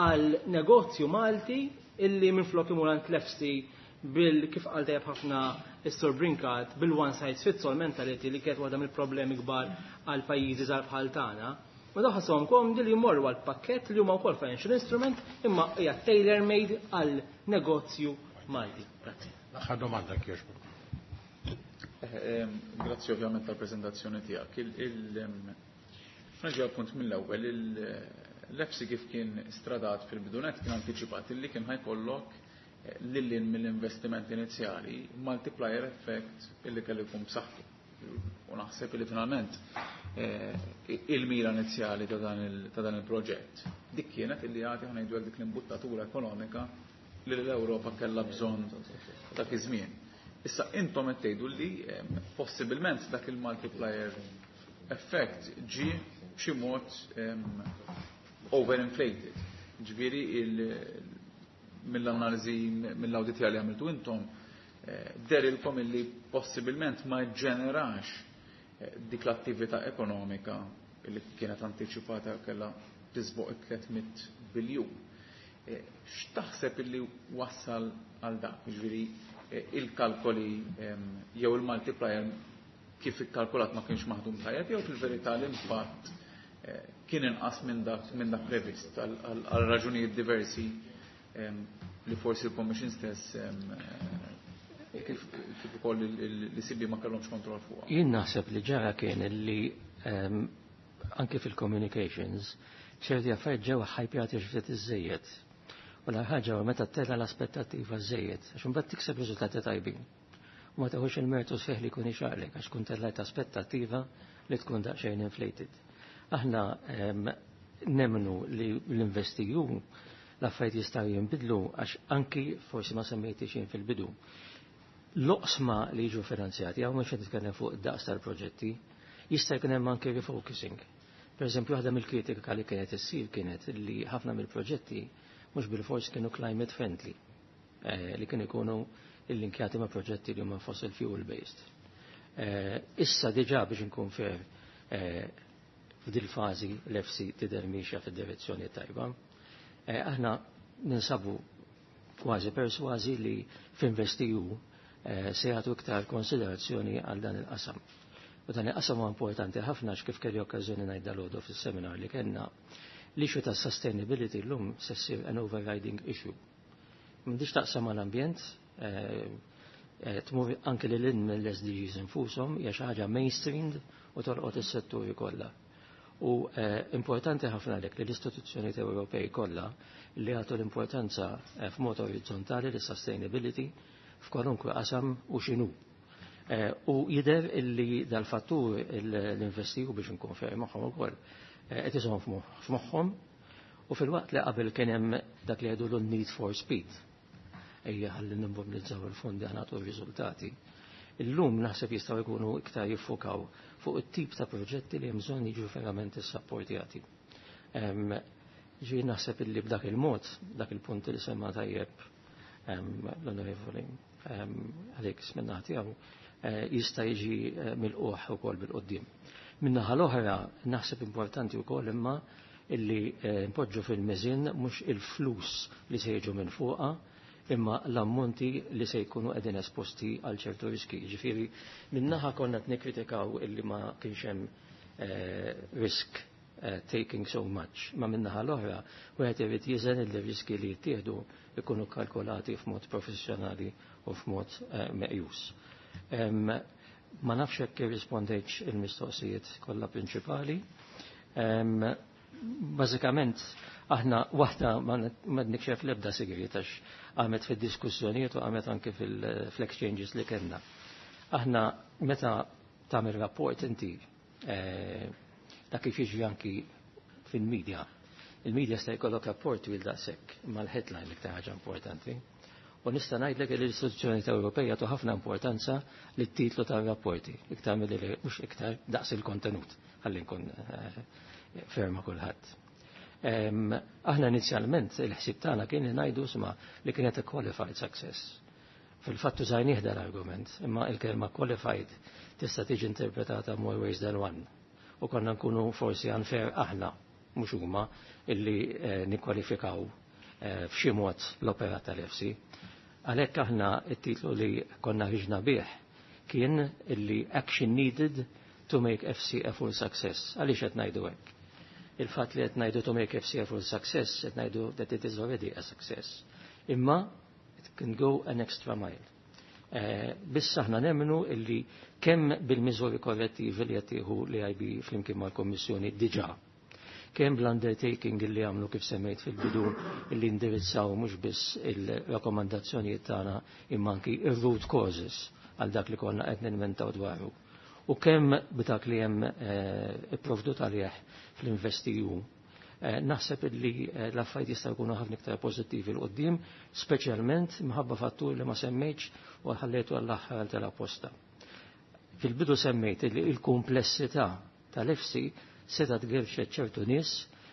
għal negozju Malti illi minn flok imur għand l-E F S I bil kif qal tajjeb ħafna is-Sur Brincat bil-one size fits all mentality li kienet waħda mill-problemi kbar għal pajjiżi żgħar bħal tagħna. Ma daw ħassuhom komdi li jmorru għal pakket li huma wkoll financial instrument imma hija tailor made għal negozju Malti. Grazzi. L-aħħar domanda, kjoġbok. Eh, grazzi ovvjament tal-prezentazzjoni tiegħek. Nerġa' punt mill-ewwel, l-E F S I kif kien stradat fil-bidu nett kien antiċipat illi kien ħa jkollok eh, lil hinn mill-investiment inizjali multiplier effect illi kellu jkun b'saħħtu. U naħseb li finalment eh, il-mira inizjali ta' dan il-proġett dik kienet illi jagħti, ħa ngħidu, dik l-imbuttatura ekonomika li l-Ewropa kellha bżonn dak iż-żmien. Issa intom qed tgħidu li possibilment dak il-multiplier effect ġi b'xi mod overinflated. Ġifieri mill-analiżi, mill-awditjar li għamiltu intom, eh, dehrilkom illi possibilment ma ġenerax eh, dik l-attività ekonomika li kienet anticipata kella tisboq tliet mitt biljun. Eh, x'taħseb illi wassal għal dak? Ġifieri il-kalkoli jew il-multiplier kif ikkalkulat ma kienx maħdum tajjeb jew fil-verità l-impatt kien inqas minn dak minn dak previst għal raġunijiet diversi li forsi l-Commission stess eh, kif ukoll l-E C B ma kellhomx kontroll fuqha? Jien naħseb li ġara kien li anke fil-communications ċerti affarijiet ġew ħajpjati ftit iżejjed. U l-ħaġa meta tella l-aspettattiva żejjed, għax imbagħad tikseb riżultati tajbin. U ma teħux il-mertu sħiħ li jkun ixaqlek għax kun tellajt aspettattiva li tkun daqsxejn inflated. Aħna nemmnu li l-InvestEU l-affarijiet jistgħu jinbidlu għax anki forsi ma semmejti xejn fil-bidu. L-oqsma li jiġu finanzjati, hawn mhux nitkellem fuq id-daqs tal-proġetti, jista' jkun hemm anke refocusing. Per eżempju, waħda mill-kritika li kienet issir kienet li ħafna mill-proġetti mhux bil-fors kienu climate friendly, eh, li kienu jkunu il-linkjati ma' proġetti li huma fossil fuel based. Eh, issa diġà, biex nkun fair, eh, f'dil fażi l-E F S I tidher miexja fid-direzzjoni tajba. Aħna ninsabu kważi persważi li f'InvestEU se jagħtu iktar konsiderazzjoni għal dan il-qasam. U dan il-qasam huwa importanti ħafna kif kelli okkażjoni ngħid dalgħodu fis-seminar li kellna, l-issue ta' sustainability llum se ssir an overriding issue. M'għandix taqsam mal-ambjent, eh, eh, tmur anke lil hinn mill-S D Gs infushom, hija xi ħaġa mainstreamed u tolqot is-setturi kollha. U eh, importanti ħafna lek li l-istituzzjonijiet Ewropej kollha li għatu l-importanza f'mod orizzontali li sustainability f'kwalunkwe qasam u x'inhu. U jidher illi dal-fattur l-InvestEU, biex nkun fair magħhom ukoll, qed iżomm f'moħħhom u fil-waqt li qabel kien hemm dak li jgħidu need for speed. Ejja ħalli nimmobilizzaw il-fondi ħa nagħtu r-riżultati. Illum naħseb jistgħu jkunu iktar jiffokaw fuq it-tip ta' proġetti li hemm bżonn jiġu verament issapportjati. Ġi naħseb illi b'dak il-mod, dak il-punt li semma tajjeb l-onorevoli Alex minna tiegħu, eh, jista' jiġi eh, milqugħ ukoll bil-qoddim. Minnaħa l-oħra naħseb importanti wkoll imma illi eh, npoġġu fil-miżin mhux il-flus li se jiġu minn fuqha imma l-ammonti li se jkunu qegħdin esposti għal ċertu riski. Ġifieri minnaħa konna qed nikkritikaw illi ma kienx hemm eh, risk eh, taking so much. Ma minnaħa l-oħra wieħed irid jiżen il riski li jittieħdu ikunu kalkolati f'mod professjonali u f'mod meqjus. Ma nafx hekk irrispondejtx il-mistoqsijiet kollha prinċipali. Bażikament Aħna waħda ma nikxef l-ebda sigriet għax għamet fid-diskussjonijiet u għamet anke fil-exchanges li kellna. Aħna meta tagħmel rapport inti eh, dak kif jiġri anki fil-medja. Il-medja sta jkollok rapport twil daqshekk, imma l-headline l-iktar ħaġa importanti. U nista' ngħidlek li l-istituzzjoni Ewropea tu ħafna importanza lit-titlu tar-rapporti, iktar milli mhux iktar daqs il-kontenut, ħalli nkun eh, ferma kulħadd. Aħna inizjalment il-ħsieb tagħna kien li ngħidu sma li kienet a qualified success. Fil-fatt użajnieh l-argument, imma il-kelma qualified tista' tiġi interpretata more ways than one. U konna nkunu forsi unfair aħna, mhux huma, illi eh, nikkwalifikaw eh, f'xi mod l-opera tal-EFSI. Għalhekk aħna it-titlu li konna ħriġna bih kien illi action needed to make EFSI a full success. Għaliex qed ngħidu hekk? Il-fatt li qed ngħidu to make EFSI a full success, qed ngħidu that it is already a success. Imma it can go an extra mile. Eh, biss aħna nemmnu illi kemm bil-miżuri korrettivi li qed tieħu l-EIB flimkien mal-Kommissjoni diġà kemm bl-undertaking illi għamlu kif semmejt fil-bidu illi indirizzaw mhux biss il-rakkomandazzjonijiet tagħna imma anki ir-root causes għal dak li konna qed ninventaw dwaru. U kemm b'dak li hemm eh, ipprovdut għalih fl-InvestEU eh, naħseb illi eh, l-affarijiet jistgħu jkunu ħafna iktar pożittivi 'l quddiem, speċjalment minħabba fattur li ma semmejtx u ħallejtu għall-aħħar tal-apposta. Fil-bidu semmejt li il-komplessità tal-EFSI seta tgerxet ċertu nies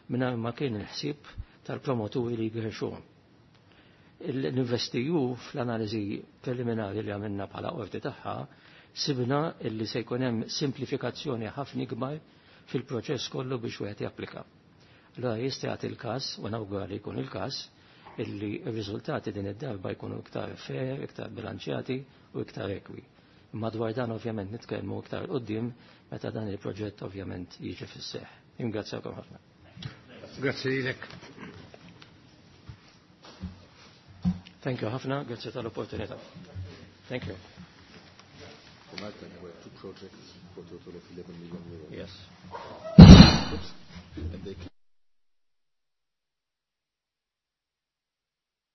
mingħajr ma kien il-ħsieb tal-promoturi li jgerxuhom. L-InvestEU fl-analiżi preliminari li għamilna bħala qorti tagħha sibna illi se jkun hemm simplifikazzjoni ħafna ikbar fil-proċess kollu biex wieħed japplika. Allora jista' jagħti il-każ, u nawgura li jkun il-każ, illi r-riżultati din id-darba jkunu iktar fair, iktar bilanċjati u iktar ekwi. Madwar dan ovvjament nitkellmu iktar quddiem meta dan il-proġett ovvjament jiġi fis-seħħ. Ingrazzjakom ħafna. Grazzi lilek. Thank you ħafna, grazzi tal-opportunità. Thank you. For Malta, there were two projects for a total of eleven million euros. Yes. Oops.